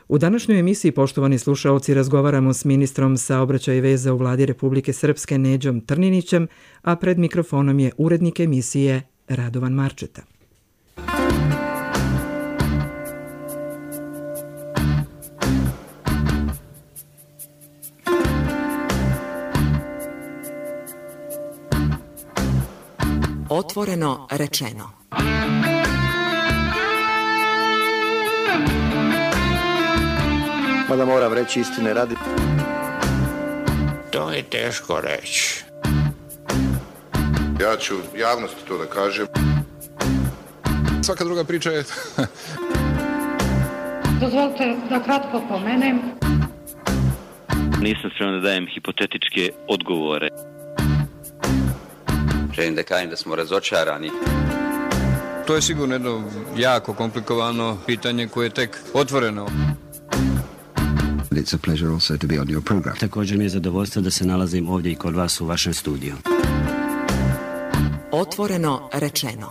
U današnjoj emisiji, poštovani slušaoci, razgovaramo s ministrom saobraćaja i veza u vladi Republike Srpske Neđom Trninićem, a pred mikrofonom je urednik emisije Radovan Marčeta. Otvoreno rečeno. Mada moram reći istine radi. To je teško reći. Ja ću javnosti to da kažem. Svaka druga priča je... Dozvolite da kratko pomenem. Nisam spreman da dajem hipotetičke odgovore. Želim da kažem da smo razočarani. To je sigurno jedno jako komplikovano pitanje koje je tek otvoreno. It's a pleasure also to be on your program. Također mi je zadovoljstvo da se nalazim ovdje i kod vas u vašem studiju. Otvoreno rečeno.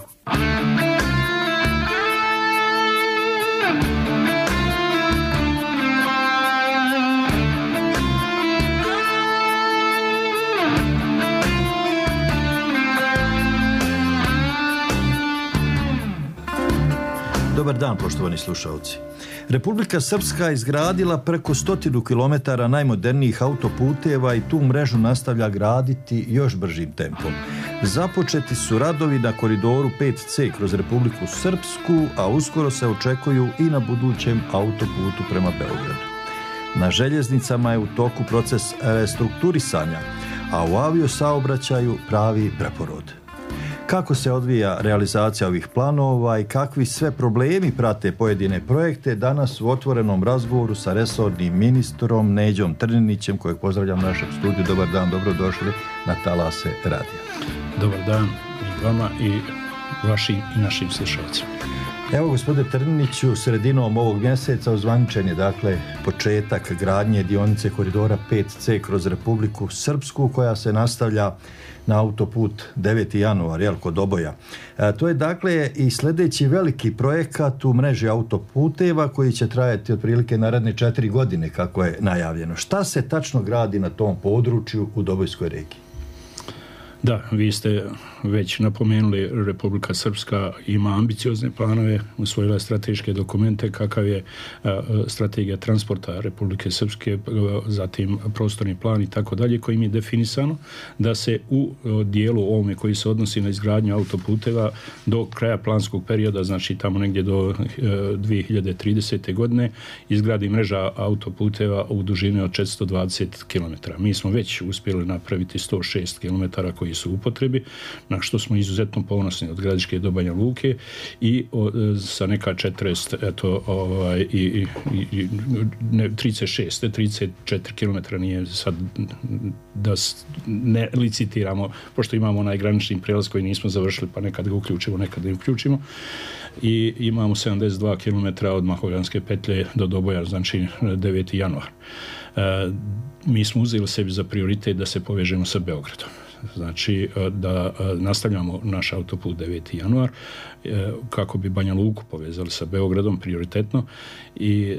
Dobar dan, poštovani slušalci. Republika Srpska izgradila preko 100 kilometara najmodernijih autoputeva i tu mrežu nastavlja graditi još bržim tempom. Započeti su radovi na koridoru 5C kroz Republiku Srpsku, a uskoro se očekuju i na budućem autoputu prema Beogradu. Na željeznicama je u toku proces restrukturisanja, a u aviosaobraćaju pravi preporod. Kako se odvija realizacija ovih planova i kakvi sve problemi prate pojedine projekte, danas u otvorenom razgovoru sa resornim ministrom Neđom Trninićem, kojeg pozdravljam u našem studiju. Dobar dan, dobrodošli na talase radija. Dobar dan i vama i vašim i našim slušalcima. Evo, gospodine Trniniću, sredinom ovog mjeseca ozvaničen je dakle početak gradnje dionice koridora 5C kroz Republiku Srpsku, koja se nastavlja na autoput 9. januar, kod Doboja. To je dakle i sljedeći veliki projekat u mreži autoputeva koji će trajati otprilike naredne 4 godine, kako je najavljeno. Šta se tačno gradi na tom području u Dobojskoj regiji? Da, vi ste već napomenuli, Republika Srpska ima ambiciozne planove, usvojila strateške dokumente, kakav je strategija transporta Republike Srpske, zatim prostorni plan i tako dalje, kojim je definisano da se u dijelu ovome koji se odnosi na izgradnju autoputeva do kraja planskog perioda, znači tamo negdje do 2030. godine, izgradi mreža autoputeva u dužini od 420 km. Mi smo već uspjeli napraviti 106 km koji su u upotrebi, na što smo izuzetno ponosni, od Gradiške do Banja Luke i sa neka 34 km nije sad da ne licitiramo, pošto imamo onaj granični prijelaz koji nismo završili, pa nekad ga uključimo, nekad ne uključimo. I imamo 72 km od Mahovljanske petlje do Doboja, znači 9. januar. Mi smo uzeli sebi za prioritet da se povežemo sa Beogradom. Znači da nastavljamo naš autoput 9. januar kako bi Banja Luku povezali sa Beogradom prioritetno i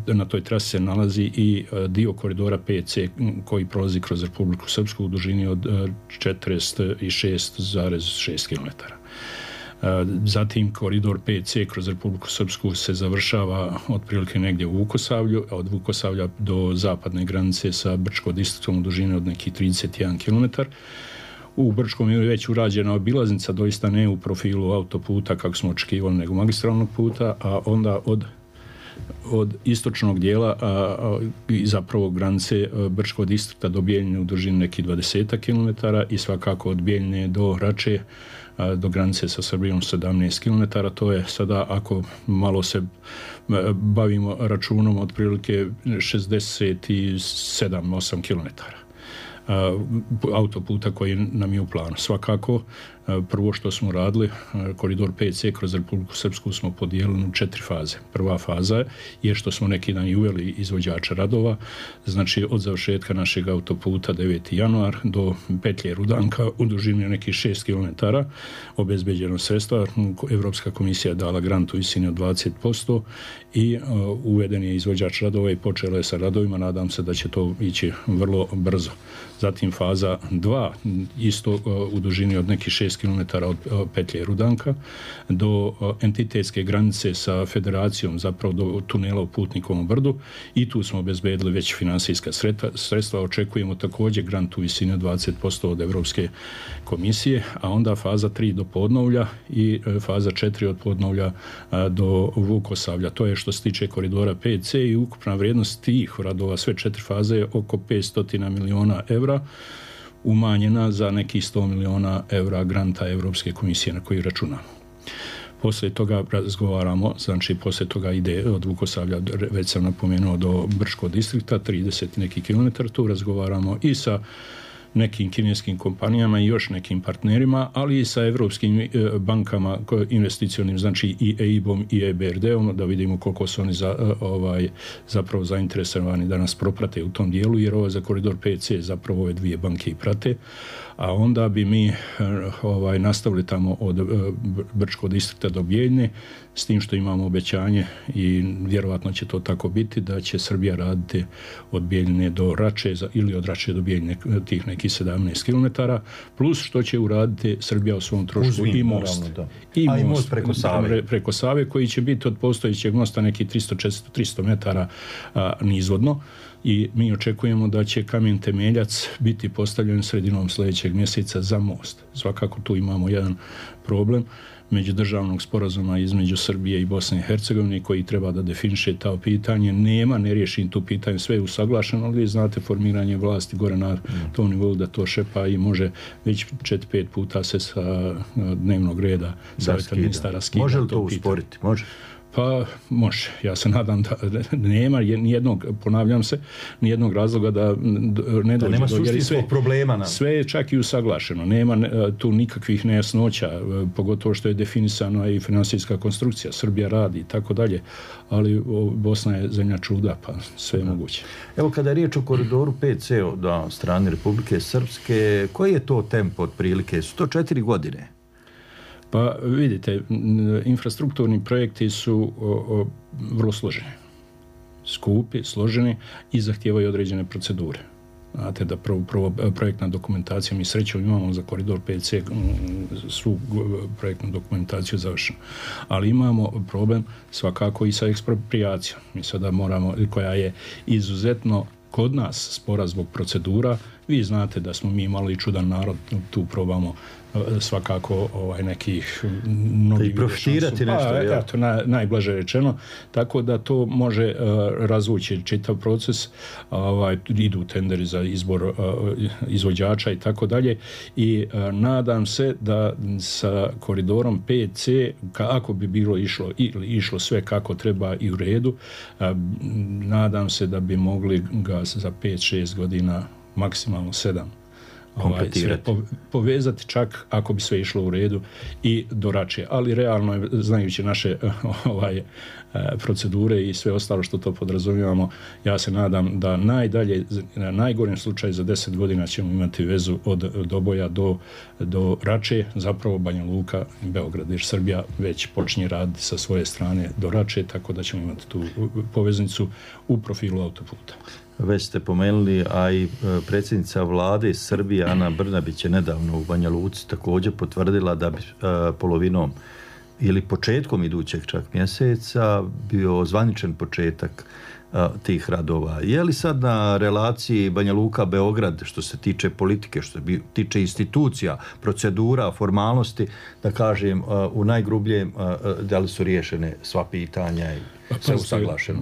na toj trasi se nalazi i dio koridora 5C koji prolazi kroz Republiku Srpsku u dužini od 46,6 km. Zatim koridor 5C kroz Republiku Srpsku se završava otprilike negdje u Vukosavlju, a od Vukosavlja do zapadne granice sa Brčko-Distriktom u dužini od nekih 31 km. U Brčkom je već urađena obilaznica, doista ne u profilu autoputa kako smo očekivali, nego magistralnog puta, a onda od istočnog dijela i zapravo granice Brčkog distrikta do Bijeljine u dužini nekih 20 km i svakako od Bijeljine do Rače do granice sa Srbijom 17 km. To je sada, ako malo se bavimo računom, otprilike 67-8 km autoputa koji nam je u planu. Svakako Prvo što smo radili, koridor 5C kroz Republiku Srpsku smo podijelili u 4 faze. Prva faza je što smo neki dan i uveli izvođača radova, znači od završetka našeg autoputa 9. januar do petlje Rudanka u dužini nekih 6 km obezbeđeno sredstva. Evropska komisija je dala grant u visini od 20% i uveden je izvođač radova i počelo je sa radovima. Nadam se da će to ići vrlo brzo. Zatim faza 2, isto u dužini od nekih 6 km od petlje Rudanka do entitetske granice sa federacijom, zapravo do tunela u Putnikovom brdu, i tu smo obezbedili već finansijska sredstva. Očekujemo također grant u visini od 20% od Evropske komisije, a onda faza 3 do Podnovlja i faza 4 od Podnovlja do Vukosavlja. To je što se tiče koridora 5C i ukupna vrijednost tih radova, sve 4 faze, je oko 500 miliona evra, umanjena za nekih 100 miliona evra granta Evropske komisije na koji računamo. Poslije toga razgovaramo, znači poslije toga ide od Vukosavlja, već sam napomenuo, do Brčkog distrikta, 30 neki kilometar, tu razgovaramo i sa nekim kineskim kompanijama i još nekim partnerima, ali i sa evropskim bankama investicionim, znači i EIB-om i EBRD-om, da vidimo koliko su oni zapravo zainteresovani da nas proprate u tom dijelu, jer ovo za koridor 5C zapravo ove dvije banke i prate, a onda bi mi nastavili tamo od Brčkog distrikta do Bijeljne, s tim što imamo obećanje i vjerovatno će to tako biti, da će Srbija raditi od Bijeljne do Rače ili od Rače do Bijeljne tih nekih 17 km, plus što će uraditi Srbija u svom trošku i most. Naravno, i most preko Save, koji će biti od postojećeg mosta nekih 300 metara nizvodno. I mi očekujemo da će kamen temeljac biti postavljen sredinom sljedećeg mjeseca za most. Svakako tu imamo jedan problem međudržavnog sporazuma između Srbije i Bosne i Hercegovine koji treba da definiše to pitanje. Ne riješim tu pitanje, sve je usaglašeno, ali vi znate formiranje vlasti gore na tom nivou da to šepa i može već 4-5 puta se sa dnevnog reda savjeta ministara skida. Može li to usporiti? Može. Pa može. Ja se nadam da nema nijednog, ponavljam se, nijednog razloga da ne dođe do, jer sve je čak i usaglašeno. Nema tu nikakvih nejasnoća, pogotovo što je definisana i finansijska konstrukcija. Srbija radi i tako dalje, ali Bosna je zemlja čuda, pa sve je moguće. Evo, kada je riječ o koridoru 5C od strane Republike Srpske, koji je to tempo otprilike? Su to 4 godine? Pa vidite, infrastrukturni projekti su vrlo složeni, skupi, složeni i zahtijevaju određene procedure. Znate da prvo projektna dokumentacija, mi srećom imamo za koridor 5C svu projektnu dokumentaciju završenu, ali imamo problem svakako i sa ekspropriacijom. Mi sada moramo, koja je izuzetno kod nas spora zbog procedura. Vi znate da smo mi malo i čudan narod, tu probamo svakako nekih i profitirati nešto, najblaže rečeno, tako da to može razvući čitav proces, idu tenderi za izbor izvođača i tako dalje, i nadam se da sa koridorom 5C, ako bi bilo išlo sve kako treba i u redu, nadam se da bi mogli ga za 5-6 godina, maksimalno 7, povezati, čak ako bi sve išlo u redu i do Rače. Ali realno je, znajući naše procedure i sve ostalo što to podrazumijevamo, ja se nadam da na najgorem slučaju za 10 godina ćemo imati vezu od Doboja do Rače, zapravo Banja Luka i Beograd, jer Srbija već počinje raditi sa svoje strane do Rače, tako da ćemo imati tu poveznicu u profilu autoputa. Već ste pomenuli, a i predsjednica vlade Srbije Ana Brnabić je nedavno u Banja Luci također potvrdila da bi polovinom ili početkom idućeg čak mjeseca bio zvaničan početak tih radova. Je li sad na relaciji Banja Luka-Beograd, što se tiče politike, što se tiče institucija, procedura, formalnosti, da kažem, u najgrubljem, da li su riješene sva pitanja i sve usaglašeno?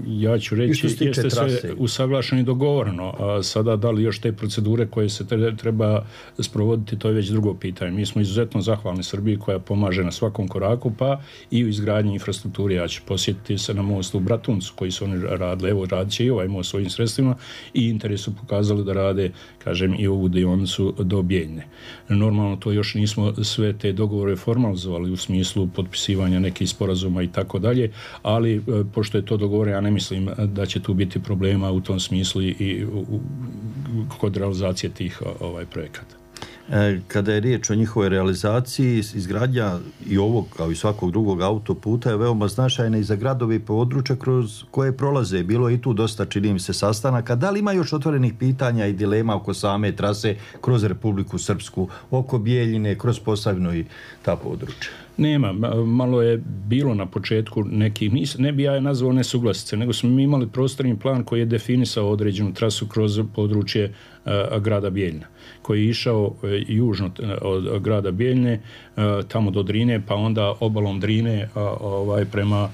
Ja ću reći, jeste sve usaglašeno i dogovoreno, a sada da li još te procedure koje se treba sprovoditi, to je već drugo pitanje. Mi smo izuzetno zahvalni Srbiji koja pomaže na svakom koraku, pa i u izgradnji infrastrukture. Ja ću posjetiti se na mostu u Bratuncu koji su oni radili. Evo, radit će i ovaj most svojim sredstvima i interes su pokazali da rade, kažem, i ovu dionicu do Bijeljne. Normalno to još nismo sve te dogovore formalizovali u smislu potpisivanja nekih sporazuma i tako dalje, ali pošto je to dogovore, ja ne mislim da će tu biti problema u tom smislu i kod realizacije tih projekata. Kada je riječ o njihovoj realizaciji, izgradnja i ovog kao i svakog drugog autoputa je veoma značajna i za gradove i područja kroz koje prolaze. Bilo je i tu dosta, čini mi se, sastanaka. Da li ima još otvorenih pitanja i dilema oko same trase kroz Republiku Srpsku, oko Bijeljine, kroz Posavinu i ta područja? Nema, malo je bilo na početku nekih, ne bi ja nazvao nesuglasice, nego smo mi imali prostorni plan koji je definisao određenu trasu kroz područje grada Bijeljina, koji je išao južno od grada Bijeljine, tamo do Drine, pa onda obalom Drine prema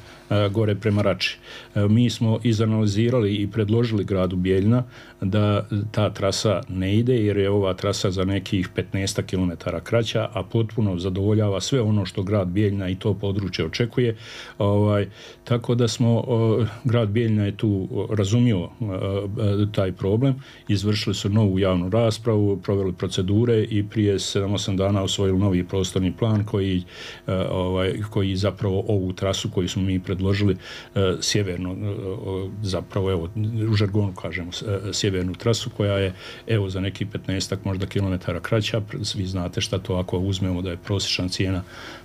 gore prema Rači. Mi smo izanalizirali i predložili gradu Bijeljina da ta trasa ne ide, jer je ova trasa za nekih 15 km kraća, a potpuno zadovoljava sve ono što grad Bijeljina i to područje očekuje. Tako da smo, grad Bijeljina je tu razumio taj problem, izvršili su novu javnu raspravu, proveli procedure i prije 7-8 dana osvojili novi prostorni plan koji zapravo ovu trasu koju smo mi predložili sjeverno, zapravo evo u žargonu kažemo sjevernu trasu koja je evo za neki 15 možda kilometara kraća. Vi znate šta to ako uzmemo da je prosječna cijena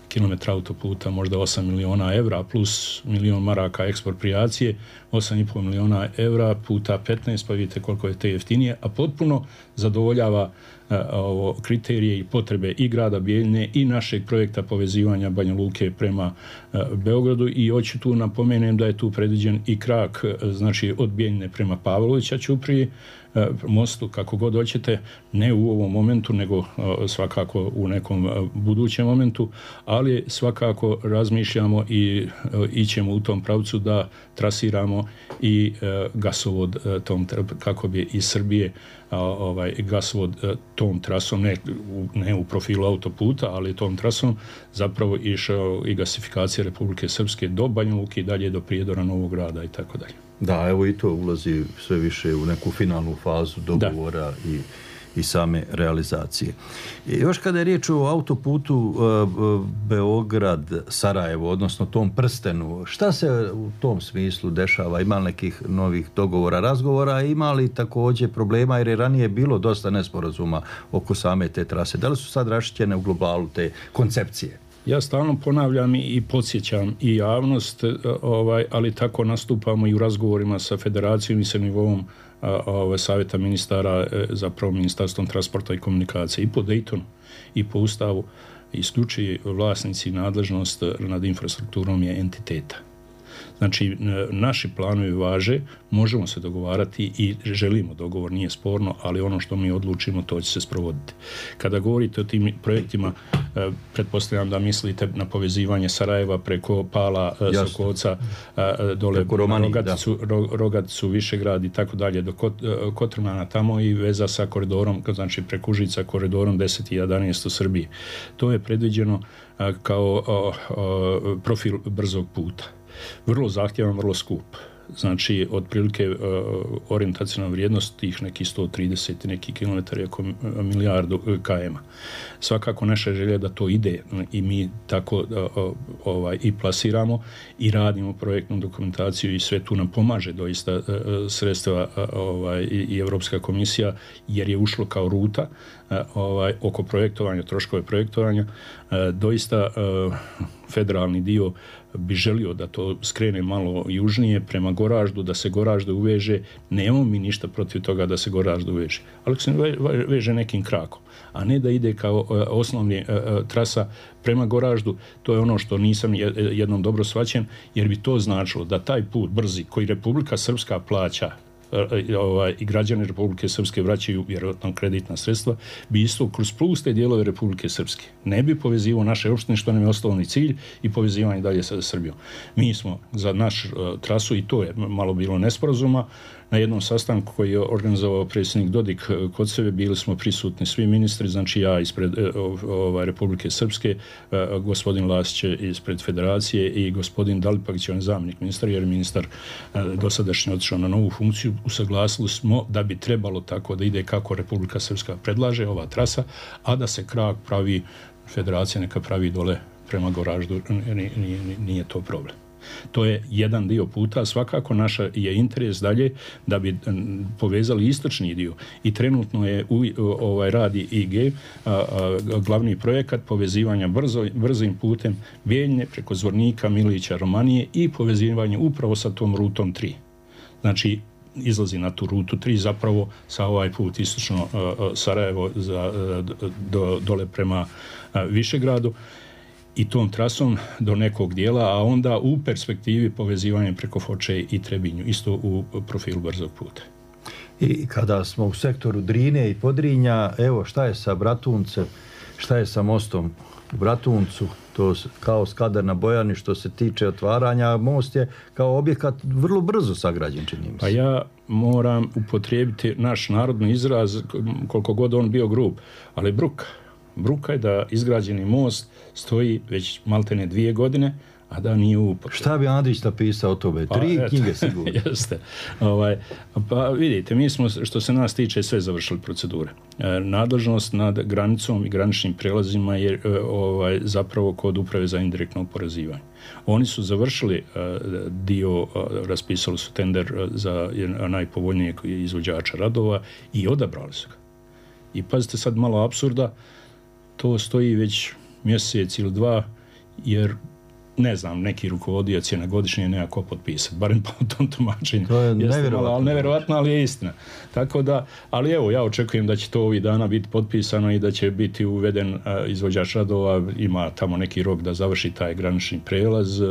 kilometra autoputa možda 8 miliona evra plus milion maraka ekspropriacije, 8,5 miliona evra puta 15, pa vidite koliko je te jeftinije, a potpuno zadovoljava kriterije i potrebe i grada Bijeljine i našeg projekta povezivanja Banja Luke prema Beogradu. I hoću tu napomenem da je tu predviđen i krak, znači od Bijeljine prema Pavlovića ćuprije, mostu, kako god hoćete, ne u ovom momentu, nego svakako u nekom budućem momentu, ali svakako razmišljamo i ićemo u tom pravcu da trasiramo i gasovod tom, kako bi iz Srbije gasovod tom trasom, ne u profilu autoputa, ali tom trasom zapravo išao i gasifikacija Republike Srpske do Banja Luke i dalje do Prijedora, Novog Grada i tako dalje. Da, evo i to ulazi sve više u neku finalnu fazu dogovora i same realizacije. Još kada je riječ o autoputu Beograd-Sarajevo, odnosno tom prstenu, šta se u tom smislu dešava? Ima li nekih novih dogovora, razgovora? Ima li također problema, jer je ranije bilo dosta nesporazuma oko same te trase? Da li su sad raščićene u globalu te koncepcije? Ja stalno ponavljam i podsjećam i javnost, ali tako nastupamo i u razgovorima sa federacijom i sa nivoom savjeta ministara, zapravo Ministarstvom transporta i komunikacije. I po Daytonu i po Ustavu isključivi vlasnici nadležnost nad infrastrukturom je entiteta. Znači, naši planovi važe, možemo se dogovarati i želimo dogovor, nije sporno, ali ono što mi odlučimo, to će se sprovoditi. Kada govorite o tim projektima, pretpostavljam da mislite na povezivanje Sarajeva preko Pala, Sokovca, dole Rogaticu, Višegrad i tako dalje, do Kotrmana tamo i veza sa koridorom, znači preko Užica koridorom 10 i 11 u Srbiji. To je predviđeno kao profil brzog puta. Vrlo zahtjevan, vrlo skup. Znači, otprilike orijentacijna vrijednost tih nekih 130 neki kilometara je oko milijardu km. Svakako naša želja da to ide i mi tako i plasiramo i radimo projektnu dokumentaciju i sve tu nam pomaže doista sredstva i Europska komisija, jer je ušlo kao ruta oko projektovanja, troškove projektovanja. Doista federalni dio bi želio da to skrene malo južnije prema Goraždu, da se Goražde uveže. Nemamo mi ništa protiv toga da se Goražde uveže, ali se veže nekim krakom, a ne da ide kao osnovni trasa prema Goraždu. To je ono što nisam jednom dobro shvaćen, jer bi to značilo da taj put brzi koji Republika Srpska plaća i građani Republike Srpske vraćaju vjerojatno kreditna sredstva, bi isto kroz pluste dijelove Republike Srpske ne bi povezivao naše opštine, što nam je osnovni cilj, i povezivanje dalje sa Srbijom. Mi smo za naš trasu, i to je malo bilo nesporazuma, na jednom sastanku koji je organizovao predsjednik Dodik kod sebe, bili smo prisutni svi ministri, znači ja ispred Republike Srpske, gospodin Lasić ispred Federacije i gospodin Dalipagić, on je zamjenik ministra, jer je ministar dosadašnji otišao na novu funkciju. Usaglasili smo da bi trebalo tako da ide kako Republika Srpska predlaže, ova trasa, a da se krak pravi, Federacija neka pravi dole prema Goraždu, nije to problem. To je jedan dio puta, svakako naša je interes dalje da bi povezali istočni dio i trenutno je radi IG glavni projekat povezivanja brzim putem Bijeljne preko Zvornika, Milića, Romanije i povezivanje upravo sa tom rutom 3. Znači izlazi na tu rutu 3 zapravo sa ovaj put istočno Sarajevo dole prema Višegradu i tom trasom do nekog dijela, a onda u perspektivi povezivanje preko Foče i Trebinju, isto u profilu brzog puta. I kada smo u sektoru Drine i Podrinja, evo šta je sa Bratuncem, šta je sa mostom u Bratuncu, to kao Skadar na Bojani što se tiče otvaranja, most je kao objekat vrlo brzo sagrađen, čini mi se. Pa ja moram upotrijebiti naš narodni izraz, koliko god on bio grub, ali bruka je da izgrađeni most stoji već maltene 2 godine, a da nije u upotrebi. Šta bi Andrić napisao o tome? 3 knjige sigurno. Jeste. Pa vidite, mi smo, što se nas tiče, sve završili procedure. Nadležnost nad granicom i graničnim prelazima je zapravo kod Uprave za indirektno oporezivanje. Oni su završili dio, raspisali su tender za najpovoljnijeg izvođača radova i odabrali su ga. I pazite sad malo apsurda, to stoji već mjesec ili 2, jer ne znam, neki rukovodioc je na godišnje nekako potpisati, barem po tom tumačenju. To je nevjerovatno, ali je istina. Tako da, ali evo, ja očekujem da će to ovih dana biti potpisano i da će biti uveden izvođač radova, ima tamo neki rok da završi taj granični prelaz,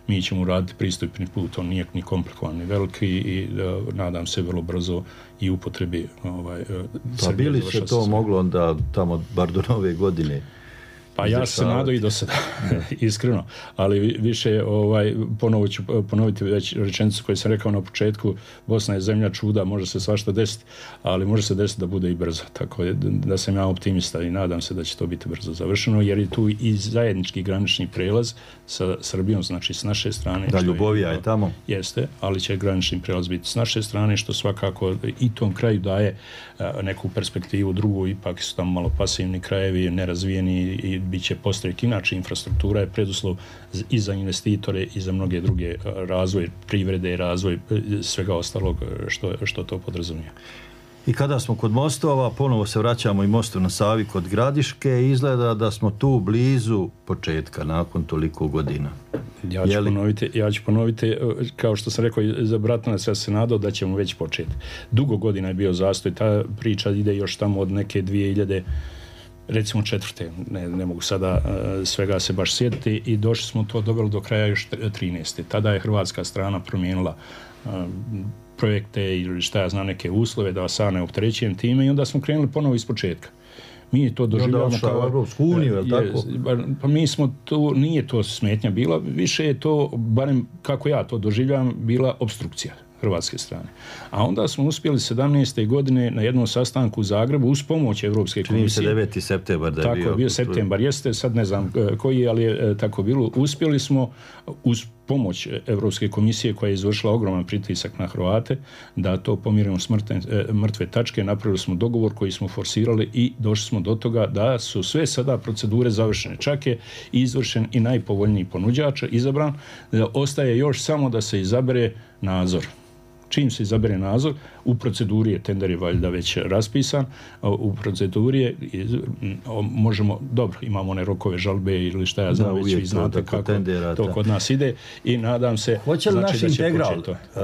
mi ćemo raditi pristupni put, on nije ni komplikovan, ni veliki i nadam se vrlo brzo i upotrebi. Pa bili se to moglo onda tamo bar do nove godine? Pa ja se nadam i do sada, iskreno, ali više ponovo ću ponoviti već rečenicu koju sam rekao na početku, Bosna je zemlja čuda, može se svašta desiti, ali može se desiti da bude i brzo, tako da sam ja optimista i nadam se da će to biti brzo završeno, jer je tu i zajednički granični prelaz sa Srbijom, znači s naše strane. Da, Ljubovija je tamo. Jeste, ali će granični prelaz biti s naše strane, što svakako i tom kraju daje neku perspektivu drugu, ipak su tamo malo pasivni krajevi, nerazvijeni i bit će postaviti. Inače, infrastruktura je preduslov i za investitore i za mnoge druge razvoj privrede, razvoj svega ostalog što to podrazumije. I kada smo kod mostova, ponovo se vraćamo i mostu na Savi kod Gradiške, izgleda da smo tu blizu početka nakon toliko godina. Ja ću ponoviti, kao što sam rekao za Bratunac, ja se nadao da ćemo već početi. Dugo godina je bio zastoj, ta priča ide još tamo od neke 2000, recimo 4. Ne mogu sada svega se baš sjetiti i došli smo to doveli do kraja još 13. Tada je hrvatska strana promijenila projekte ili šta ja znam, neke uslove da vas ne opterećujem time i onda smo krenuli ponovo iz početka. Mi to doživljavamo kao Europsku uniju, je li tako? Pa mi smo tu, nije to smetnja bila, više je to, barem kako ja to doživljavam, bila opstrukcija hrvatske strane. A onda smo uspjeli 17. godine na jednom sastanku u Zagrebu uz pomoć Evropske komisije. Čini se 9. septembar da je bio. Tako, bio septembar, jeste, sad ne znam koji, ali je tako bilo. Uspjeli smo uz pomoć Evropske komisije koja je izvršila ogroman pritisak na Hrvate da to pomirimo s mrtve tačke. Napravili smo dogovor koji smo forsirali i došli smo do toga da su sve sada procedure završene. Čak je izvršen i najpovoljniji ponuđač izabran. Ostaje još samo da se izabere nadzor. Čim se izabere nadzor, u proceduri je, tender je valjda već raspisan, u proceduri je, možemo, dobro, imamo one rokove žalbe ili šta ja znam, već vi znate kako tendera, to kod nas ide i nadam se... Hoće li naš Integral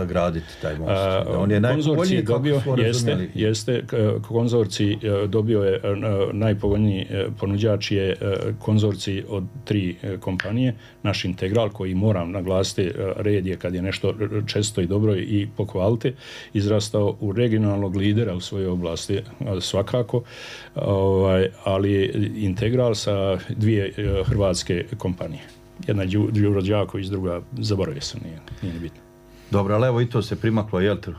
graditi taj most? On je najpovoljniji, dobio, jeste, konzorcij dobio je najpovoljniji ponuđač je konzorcij od 3 kompanije, naš Integral, koji moram naglasiti, red je kad je nešto često i dobro i pohvalite, izrastao u regionalnog lidera u svojoj oblasti, svakako, ali Integral sa 2 hrvatske kompanije. Jedna je Đuro Đaković, druga, zaboravio sam, nije bitno. Dobro, ali evo i to se primaklo, jel te?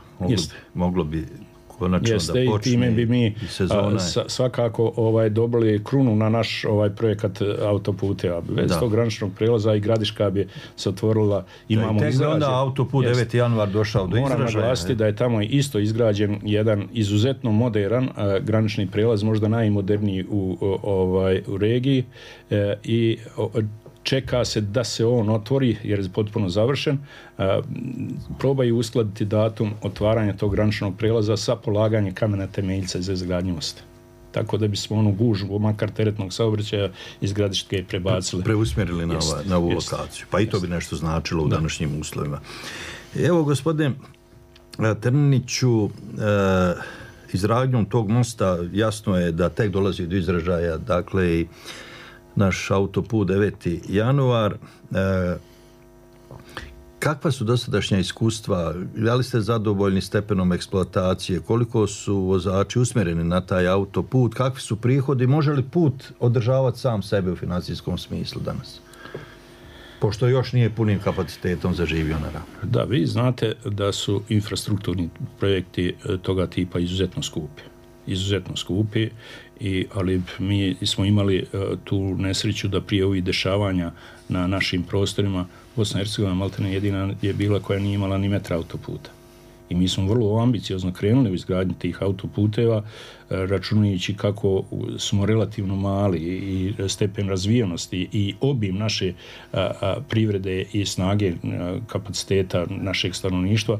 Moglo bi konačno da počne time bi mi sezona. Svakako dobili krunu na naš projekat autoputeva. Bez tog graničnog prelaza i Gradiška bi se otvorila. Imamo tek onda autoput 9. januar došao do izražaja. Moram naglasiti da je tamo isto izgrađen jedan izuzetno modern granični prelaz, možda najmoderniji u regiji i čeka se da se on otvori jer je potpuno završen. Probaju uskladiti datum otvaranja tog graničnog prelaza sa polaganjem kamena temeljca za izgradnju mosta. Tako da bismo onu gužvu, makar teretnog saobraćaja iz Gradiške prebacili. Preusmjerili na ovu lokaciju. Pa i to bi nešto značilo u današnjim uslovima. Evo, gospodine Trniniću, izgradnjom tog mosta jasno je da tek dolazi do izražaja, dakle, i naš autoput 9. januar. Kakva su dosadašnja iskustva? Da li ste zadovoljni stepenom eksploatacije? Koliko su vozači usmjereni na taj autoput? Kakvi su prihodi? Može li put održavati sam sebe u financijskom smislu danas? Pošto još nije punim kapacitetom zaživio na Ravnu. Da, vi znate da su infrastrukturni projekti toga tipa izuzetno skupi, ali mi smo imali tu nesreću da prije ovih dešavanja na našim prostorima Bosna i Hercegovina maltene jedina je bila koja nije imala ni metra autoputa. I mi smo vrlo ambiciozno krenuli u izgradnju tih autoputeva, računajući kako smo relativno mali i stepen razvijenosti i obim naše privrede i snage kapaciteta našeg stanovništva,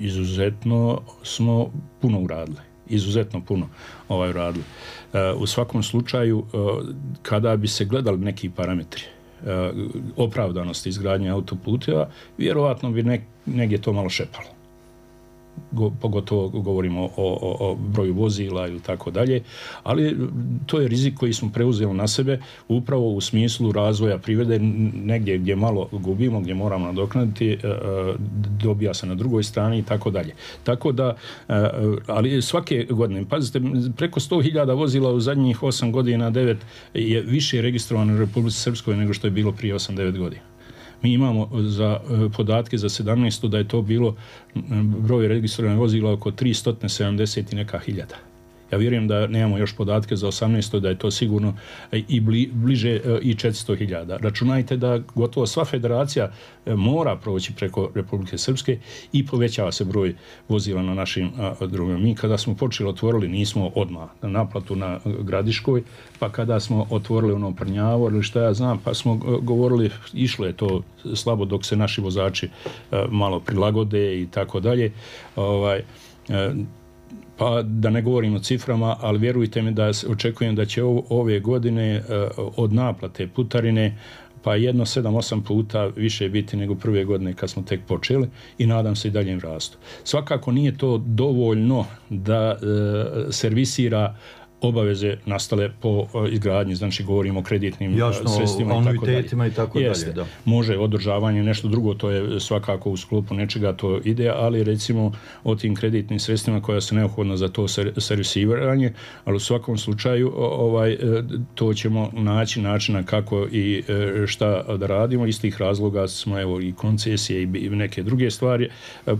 izuzetno smo puno uradili. Izuzetno puno uradili. U svakom slučaju, kada bi se gledali neki parametri opravdanosti izgradnje autoputeva, vjerovatno bi negdje to malo šepalo. Pogotovo govorimo o broju vozila ili tako dalje, ali to je rizik koji smo preuzeli na sebe upravo u smislu razvoja privrede, negdje gdje malo gubimo, gdje moramo nadoknaditi, dobija se na drugoj strani i tako dalje. Tako da, ali svake godine, pazite, preko 100.000 vozila u zadnjih 8 godina, 9 je više registrovano u Republici Srpskoj nego što je bilo prije 8-9 godina. Mi imamo za podatke za 17. da je to bilo broj registriranih vozila oko 370 i neka hiljada. Ja vjerujem da nemamo još podatke za 18. da je to sigurno i bliže i 400.000. Računajte da gotovo sva federacija mora proći preko Republike Srpske i povećava se broj vozila na našim drugima. Mi kada smo počeli otvorili, nismo odmah na naplatu na Gradiškoj, pa kada smo otvorili ono Prnjavo ili šta ja znam, pa smo govorili, išlo je to slabo dok se naši vozači malo prilagode i tako dalje. Pa da ne govorim o ciframa, ali vjerujte mi da očekujem da će ove godine od naplate putarine pa 7-8 puta više biti nego prve godine kad smo tek počeli i nadam se i daljem rastu. Svakako nije to dovoljno da servisira obaveze nastale po izgradnji, znači govorimo o kreditnim sredstvima i tako dalje. Da. Može održavanje, nešto drugo, to je svakako u sklopu nečega, to ide, ali recimo o tim kreditnim sredstvima koja su neophodna za to servisiranje, ali u svakom slučaju to ćemo naći načina kako i šta da radimo. Iz tih razloga smo evo i koncesije i neke druge stvari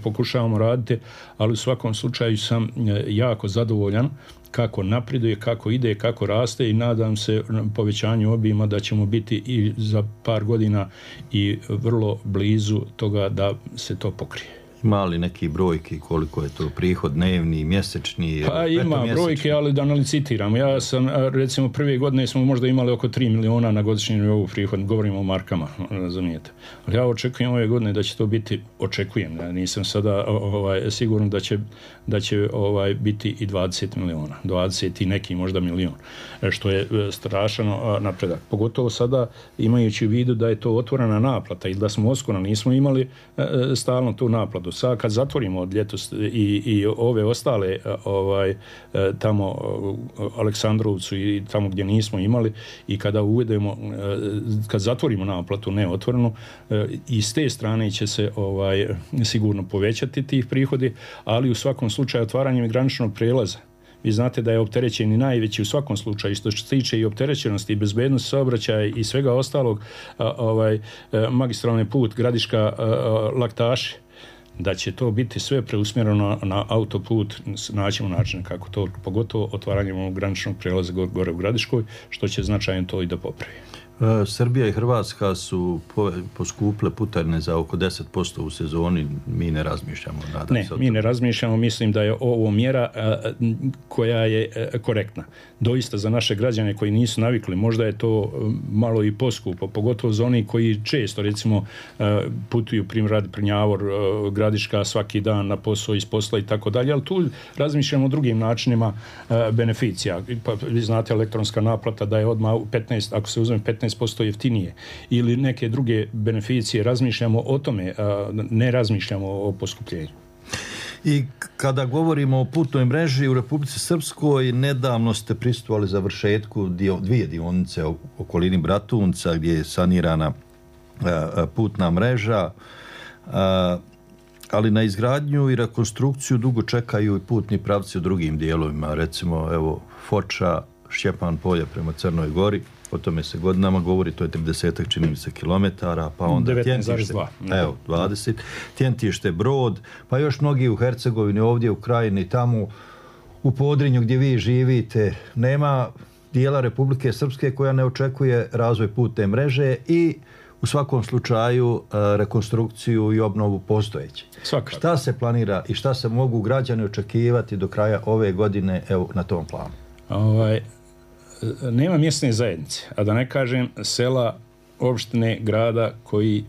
pokušavamo raditi, ali u svakom slučaju sam jako zadovoljan kako napreduje, kako ide, kako raste i nadam se povećanju obima da ćemo biti i za par godina i vrlo blizu toga da se to pokrije. Ima li neki brojki koliko je to prihod dnevni, mjesečni? Pa ima brojke, ali da ne licitiramo. Ja sam, recimo, prve godine smo možda imali oko 3 miliona na godišnjem nivou prihod, govorimo o markama, razumijete. Ali ja očekujem ove godine da će to biti, ja nisam sada siguran da će biti i 20 miliona, 20 i neki možda milion, što je strašan napredak. Pogotovo sada imajući u vidu da je to otvorena naplata ili da smo oskoro nismo imali stalno tu naplatu. Sad kad zatvorimo od ljetos i ove ostale tamo Aleksandrovcu i tamo gdje nismo imali i kada uvedemo, kad zatvorimo naplatu neotvorenu, i s te strane će se sigurno povećati tih prihodi, ali u svakom slučaju otvaranjem graničnog prelaza. Vi znate da je opterećeni najveći u svakom slučaju, što se tiče i opterećenosti i bezbednosti saobraćaja i svega ostalog, magistralni put Gradiška Laktaši. da će to biti sve preusmjereno na autoput, naćemo način kako to, pogotovo otvaranjem ovog graničnog prijelaza gore u Gradiškoj, što će značajno to i da popravi. Srbija i Hrvatska su poskupile putarine za oko 10% u sezoni, mi ne razmišljamo. Mi ne razmišljamo, mislim da je ovo mjera koja je korektna. Doista za naše građane koji nisu navikli, možda je to malo i poskupo, pogotovo za oni koji često recimo putuju primjer Prnjavor, Gradiška svaki dan na posao, iz posla i tako dalje, ali tu razmišljamo o drugim načinima beneficija. Pa, vi znate, elektronska naplata da je odmah 15, ako se uzme 15% jeftinije ili neke druge beneficije, razmišljamo o tome, ne razmišljamo o poskupljenju. I kada govorimo o putnoj mreži u Republici Srpskoj, nedavno ste prisustvovali završetku dvije dionice u okolini Bratunca gdje je sanirana putna mreža, ali na izgradnju i rekonstrukciju dugo čekaju i putni pravci u drugim dijelovima, recimo evo Foča, Šćepan polje prema Crnoj Gori, o tome se godinama govori, to je 30 čini mi se kilometara, pa onda 19,2. Evo, 20. Tjentište, Brod, pa još mnogi u Hercegovini, ovdje u Krajini, tamo u Podrinju gdje vi živite, nema dijela Republike Srpske koja ne očekuje razvoj putne mreže i u svakom slučaju rekonstrukciju i obnovu postojeće. Šta se planira i šta se mogu građani očekivati do kraja ove godine evo, na tom planu? Nema mjesne zajednice, a da ne kažem sela, opštine, grada koji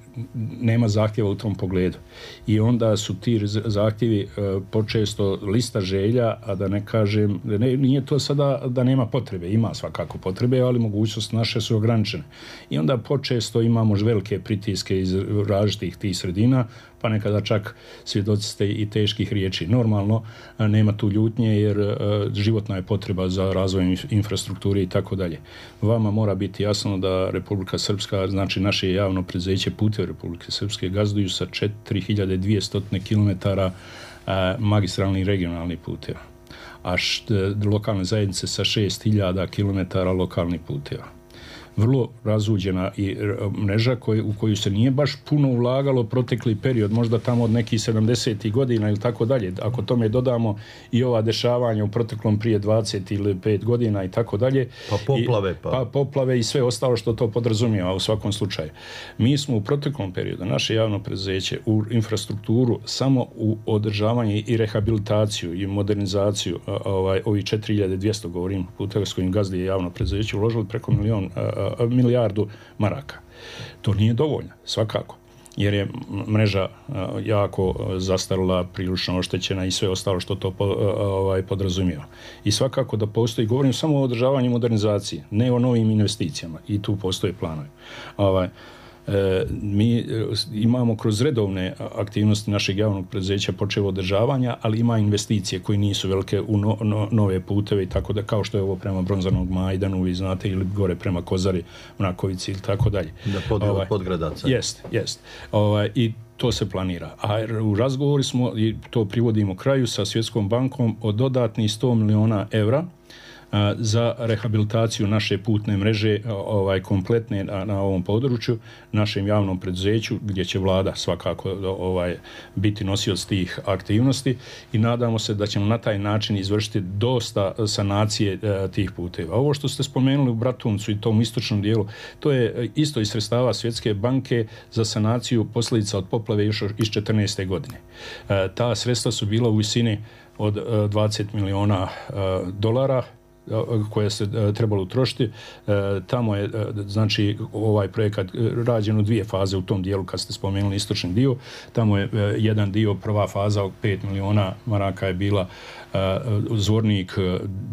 nema zahtjeva u tom pogledu. I onda su ti zahtjevi počesto lista želja, a da ne kažem, nije to sada da nema potrebe, ima svakako potrebe, ali mogućnosti naše su ograničene. I onda počesto imamo velike pritiske iz različitih tih sredina, pa nekada čak svjedoci ste i teških riječi. Normalno, nema tu ljutnje jer životna je potreba za razvoj infrastrukture i tako dalje. Vama mora biti jasno da Republika Srpska, znači naše javno preduzeće Putevi Republike Srpske gazduju sa 4200 km magistralnih regionalnih puteva, a lokalne zajednice sa 6000 km lokalnih puteva. Vrlo razuđena i mreža u koju se nije baš puno ulagalo protekli period, možda tamo od nekih 70. godina ili tako dalje. Ako tome dodamo i ova dešavanja u proteklom prije 20 ili 5 godina i tako dalje. Pa poplave. Pa poplave i sve ostalo što to podrazumijeva u svakom slučaju. Mi smo u proteklom periodu, naše javno preduzeće, u infrastrukturu samo u održavanje i rehabilitaciju i modernizaciju ovih 4200, govorim, puteva s kojim gazdi je javno preduzeće, uložili preko milijardu maraka. To nije dovoljno, svakako, jer je mreža jako zastarila, prilično oštećena i sve ostalo što to podrazumijeva. I svakako da postoji, govorim samo o održavanju i modernizaciji, ne o novim investicijama, i tu postoje planovi. Mi imamo kroz redovne aktivnosti našeg javnog preduzeća počevo održavanja, ali ima investicije koje nisu velike u nove puteve i tako da, kao što je ovo prema Bronzanog Majdanu, vi znate, ili gore prema Kozari, Mrakovici ili tako dalje. Da, Podgradaca. Jest. I to se planira. A u razgovoru smo, i to privodimo kraju, sa Svjetskom bankom o dodatnih 100 miliona evra za rehabilitaciju naše putne mreže kompletne na ovom području, našem javnom preduzeću, gdje će vlada svakako biti nosioc tih aktivnosti i nadamo se da ćemo na taj način izvršiti dosta sanacije tih puteva. Ovo što ste spomenuli u Bratuncu i tom istočnom dijelu, to je isto iz sredstava Svjetske banke za sanaciju posljedica od poplave još iz 2014. godine. Ta sredstva su bila u visini od 20 miliona dolara koje se trebalo utrošiti. Tamo je, znači, ovaj projekat rađen u dvije faze u tom dijelu, kad ste spomenuli istočni dio. Tamo je jedan dio, prva faza od 5 miliona maraka je bila Zvornik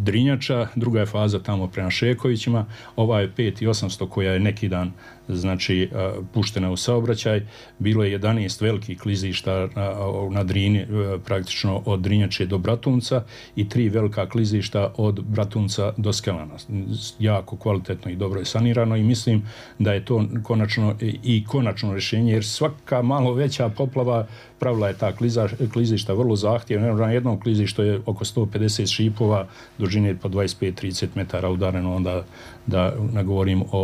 Drinjača, druga je faza tamo prema Šekovićima, ova je 5.800 koja je neki dan, znači, puštena u saobraćaj. Bilo je 11 velikih klizišta na Drini, praktično od Drinjače do Bratunca, i 3 velika klizišta od Bratunca do Skelana. Jako kvalitetno i dobro je sanirano i mislim da je to konačno rješenje, jer svaka malo veća poplava pravila je ta klizišta vrlo zahtjevna. Na jednom klizištu je oko 150 šipova, dužine po 25-30 metara udareno, onda da ne govorim o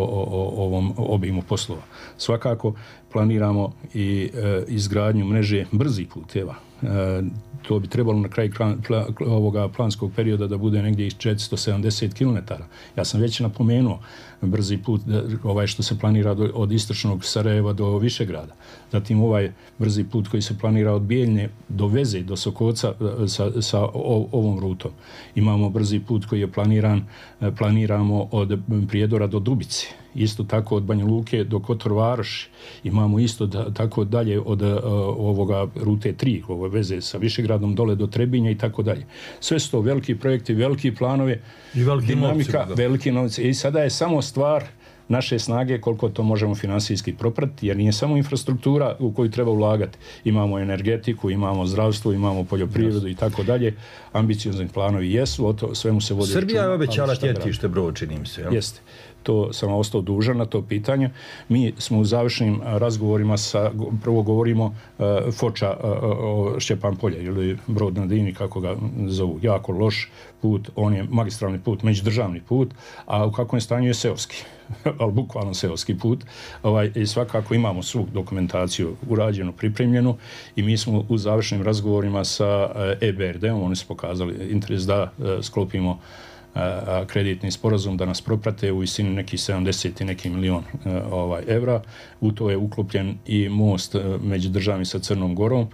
ovom obimu poslova. Svakako planiramo i izgradnju mreže brzih puteva. To bi trebalo na kraju ovoga planskog perioda da bude negdje 470 km. Ja sam već napomenuo brzi put što se planira od istočnog Sarajeva do Višegrada. Zatim ovaj brzi put koji se planira od Bijeljne do Veze, do Sokoca sa ovom rutom. Imamo brzi put koji je planiramo od Prijedora do Dubice. Isto tako od Banja Luke do Kotor Varoši. Imamo isto tako dalje od ovoga rute 3, ove veze sa Višegradom dole do Trebinja i tako dalje. Sve su to veliki projekti, veliki planovi, i veliki dinamika, veliki novci. I sada je samo stvar naše snage koliko to možemo finansijski propratiti, jer nije samo infrastruktura u koju treba ulagati. Imamo energetiku, imamo zdravstvo, imamo poljoprivredu i tako dalje. Ambiciozni planovi jesu, o to svemu se vodi računa. Srbija je obećala tjetište Brod, čini mi se. Jel? Jeste. To sam ostao dužan na to pitanje. Mi smo u završnim razgovorima prvo govorimo Foča Šćepan polje ili Brod na Drini, kako ga zovu. Jako loš put, on je magistralni put, međudržavni put, a u kakvom stanju je seoski, ali bukvalno seoski put. I svakako imamo svu dokumentaciju urađenu, pripremljenu i mi smo u završnim razgovorima sa EBRD-om, oni su pokazali interes da sklopimo kreditni sporazum da nas proprate u visini nekih 70 i neki milion evra. U to je uklopljen i most međudržavni sa Crnom Gorom,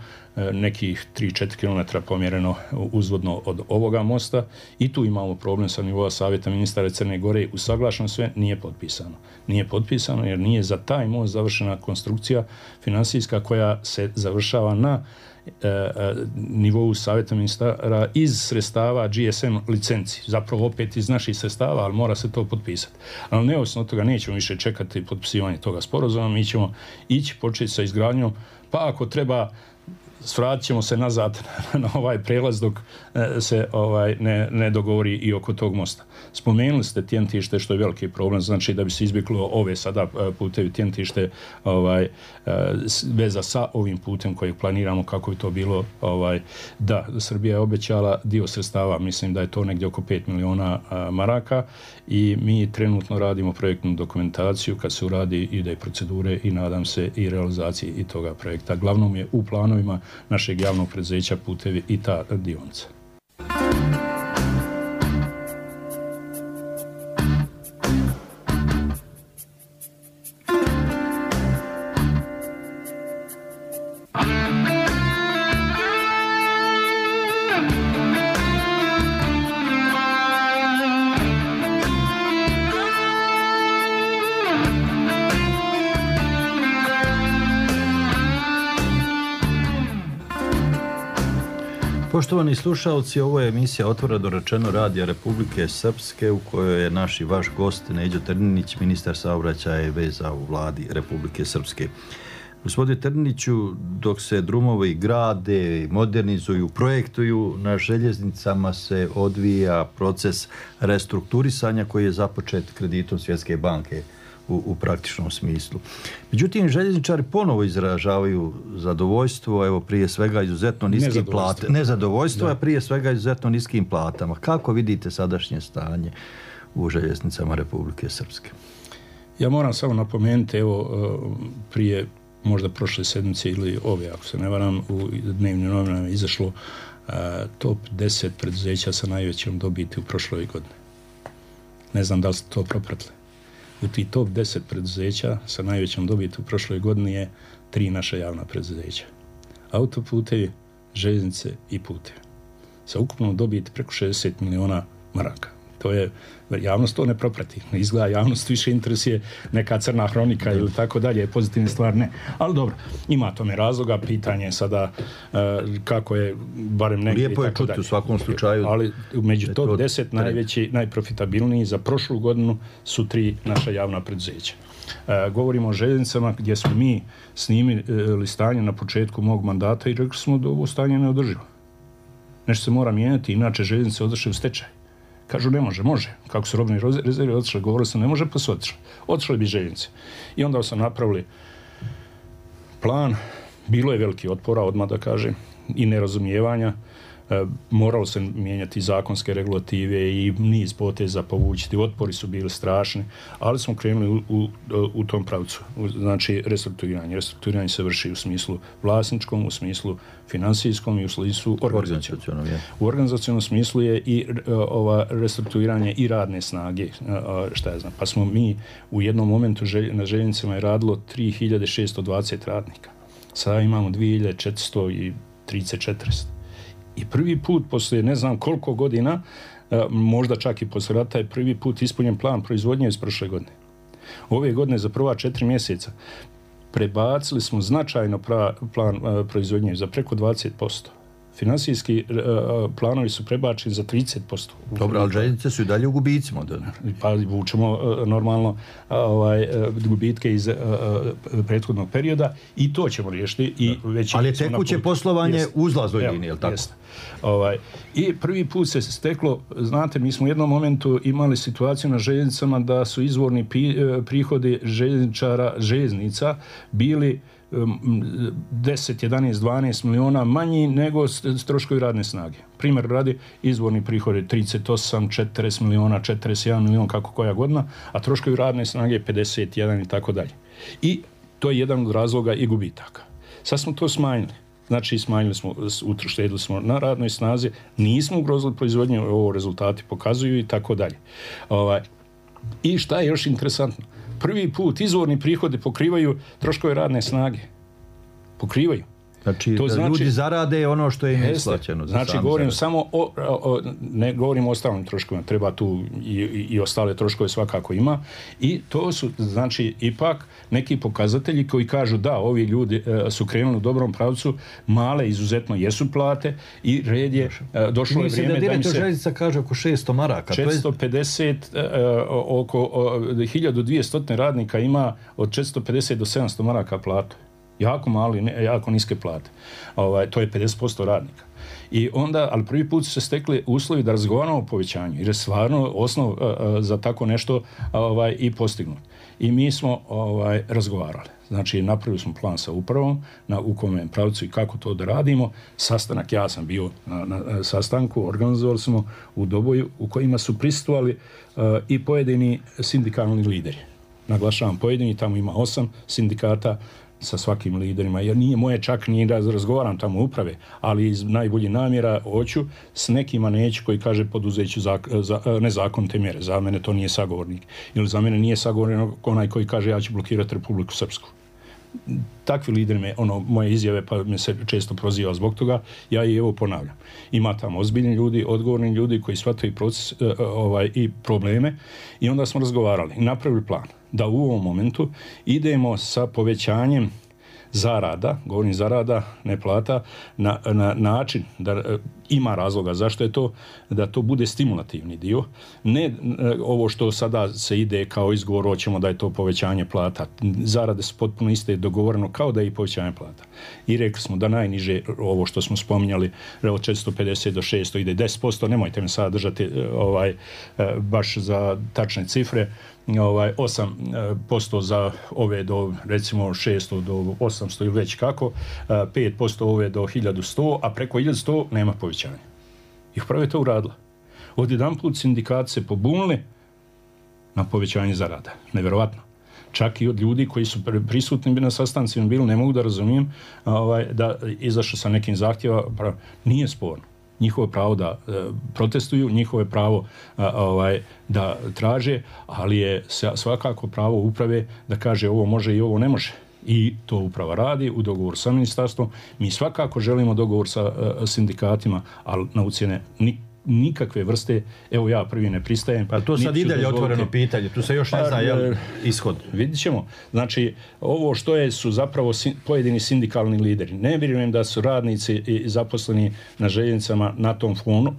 nekih 3-4 km pomjereno uzvodno od ovoga mosta i tu imamo problem sa nivoa Savjeta ministara Crne Gore. Usaglašeno sve, nije potpisano. Nije potpisano jer nije za taj most završena konstrukcija finansijska koja se završava na nivou Savjeta ministara iz sredstava GSM licenci. Zapravo opet iz naših sredstava, ali mora se to potpisati. Ali neovisno od toga nećemo više čekati potpisivanje toga sporazuma, mi ćemo ići početi sa izgradnjom, pa ako treba svratit ćemo se nazad na ovaj prelaz dok se ne dogovori i oko tog mosta. Spomenuli ste Tjentište, što je veliki problem, znači da bi se izbjeglo ove sada putevi Tjentište veza sa ovim putem kojeg planiramo, kako bi to bilo. Da, Srbija je obećala dio sredstava, mislim da je to negdje oko 5 miliona maraka i mi trenutno radimo projektnu dokumentaciju, kad se uradi ide procedure i nadam se i realizaciji i toga projekta. Glavnom je u planovima našeg javnog preduzeća Putevi i ta dionica. Poštovani slušalci, ovo je emisija Otvoreno rečeno Radija Republike Srpske u kojoj je naš i vaš gost Neđo Trninić, ministar saobraćaja i veza u Vladi Republike Srpske. Gospodine Trniniću, dok se drumovi grade, modernizuju, projektuju, na željeznicama se odvija proces restrukturisanja koji je započet kreditom Svjetske banke u praktičnom smislu. Međutim, željezničari ponovo izražavaju zadovoljstvo, evo prije svega izuzetno niskim platama. Nezadovoljstvo, a prije svega izuzetno niskim platama. Kako vidite sadašnje stanje u željeznicama Republike Srpske? Ja moram samo napomenuti, evo prije možda prošle sedmice ili ove, ako se ne varam, u dnevnim novinama izašlo top 10 preduzeća sa najvećom dobiti u prošloj godini. Ne znam da li ste to propratili. U tih top 10 preduzeća sa najvećom dobiti u prošloj godini je 3 naša javna preduzeća. Autoputevi, željeznice i putevi. Sa ukupnom dobiti preko 60 miliona maraka. To je, javnost to ne proprati. Izgleda javnost više interesuje neka crna hronika ili tako dalje, pozitivne stvari ne. Ali dobro, ima tome razloga, pitanje je sada kako je, barem negdje. Lijepo je čuti u svakom slučaju. Ali među top 10 najveći, najprofitabilniji za prošlu godinu su 3 naša javna preduzeća. Govorimo o željeznicama gdje smo mi snimili stanje na početku mog mandata i rekli smo da ovo stanje ne održivo. Nešto se mora mijenjati, inače željeznice odošle u stečaj. Kažu ne može, može. Kako su robne rezerve otišle, govorili sam ne može, pa su otišle. Otišle bi željeznice. I onda sam napravili plan, bilo je veliki otpora, odmah da kažem, i nerazumijevanja. moralo se mijenjati zakonske regulative i niz poteza povući. Otpori su bili strašni, ali smo krenuli u tom pravcu. Znači, restrukturiranje. Restrukturiranje se vrši u smislu vlasničkom, u smislu finansijskom i u smislu organizacionom. U organizacionom smislu je i restrukturiranje i radne snage, šta ja znam. Pa smo mi u jednom momentu na željeznicama je radilo 3620 radnika. Sada imamo 2430. I prvi put poslije ne znam koliko godina, možda čak i poslije rata, je prvi put ispunjen plan proizvodnje iz prošle godine. Ove godine za prva 4 mjeseca prebacili smo značajno plan proizvodnje za preko 20%. Finansijski planovi su prebačeni za 30%. Dobro, ali željeznice su i dalje u gubicima. Pa vučemo normalno gubitke iz prethodnog perioda i to ćemo riješiti. Ali je tekuće poslovanje uzlaznoj liniji, je li tako? Jest. I prvi put se steklo, znate, mi smo u jednom momentu imali situaciju na željeznicama da su izvorni prihodi željeznica bili 10, 11, 12 miliona manji nego troškovi radne snage. Primjer radi, izvorni prihodi 38, 40 miliona, 41 milion, kako koja godina, a troškovi radne snage 51 i tako dalje. I to je jedan od razloga i gubitaka. Sad smo to smanjili. Znači, smanjili smo, uštedili smo na radnoj snazi, nismo ugrozili proizvodnju, ovo rezultati pokazuju i tako dalje. I šta je još interesantno? Prvi put izvorni prihodi pokrivaju troškove radne snage. Pokrivaju. Znači, ljudi zarade ono što je im isplaćeno. Znači, govorim samo ne govorim o ostalim troškovima, treba tu i ostale troškove svakako ima. I to su, znači, ipak neki pokazatelji koji kažu da, ovi ljudi su krenuli u dobrom pravcu, male izuzetno jesu plate i red je, došlo je vrijeme da im se... Mislim da direktor željeznica kaže oko 600 maraka. 450, oko 1200 radnika ima od 450 do 700 maraka platu. Jako mali, jako niske plate. To je 50% radnika. I onda, ali prvi put su se stekli uslovi da razgovaramo o povećanju, jer je stvarno osnov za tako nešto i postignut. I mi smo razgovarali. Znači, napravili smo plan sa upravom u kome pravcu i kako to da radimo. Sastanak, ja sam bio na sastanku, organizovali smo u Doboju u kojima su prisustvovali i pojedini sindikalni lideri. Naglašavam pojedini, tamo ima 8 sindikata sa svakim liderima, jer nije moje čak ni da razgovaram tamo uprave, ali iz najboljih namjera hoću, s nekima neću koji kaže poduzeću nezakonite mjere. Za mene to nije sagovornik. Ili za mene nije sagovornik onaj koji kaže ja ću blokirati Republiku Srpsku. Takvi lideri moje izjave, pa me se često proziva zbog toga, ja i evo ponavljam. Ima tamo ozbiljni ljudi, odgovorni ljudi koji shvataju proces i probleme i onda smo razgovarali i napravili plan da u ovom momentu idemo sa povećanjem zarada, govorim zarada, ne plata, na način da ima razloga zašto je to, da to bude stimulativni dio, ne ovo što sada se ide kao izgovor, hoćemo da je to povećanje plata. Zarade su potpuno iste, dogovoreno kao da je i povećanje plata. I rekli smo da najniže, ovo što smo spominjali, od 450 do 600 ide 10%, nemojte me sada držati baš za tačne cifre, 8% za ove do recimo 600 do 800 ili već kako, 5% ove do 1100, a preko 1100 nema povećanja. I upravo je to uradila. Odjedanput sindikati se pobunili na povećanje zarada. Nevjerovatno. Čak i od ljudi koji su prisutni na sastancima bili, ne mogu da razumijem da izašao sa nekim zahtjeva, nije sporno. Njihovo pravo da protestuju, njihovo pravo da traže, ali je svakako pravo uprave da kaže ovo može i ovo ne može. I to uprava radi u dogovoru sa ministarstvom. Mi svakako želimo dogovor sa sindikatima, ali na ucjene nikakve vrste, evo ja prvi ne pristajem. Pa to sad ide otvoreno pitanje, tu se još ne zna ishod. Vidit ćemo. Znači, ovo što su zapravo pojedini sindikalni lideri. Ne vjerujem da su radnici i zaposleni na željeznicama na tom fonu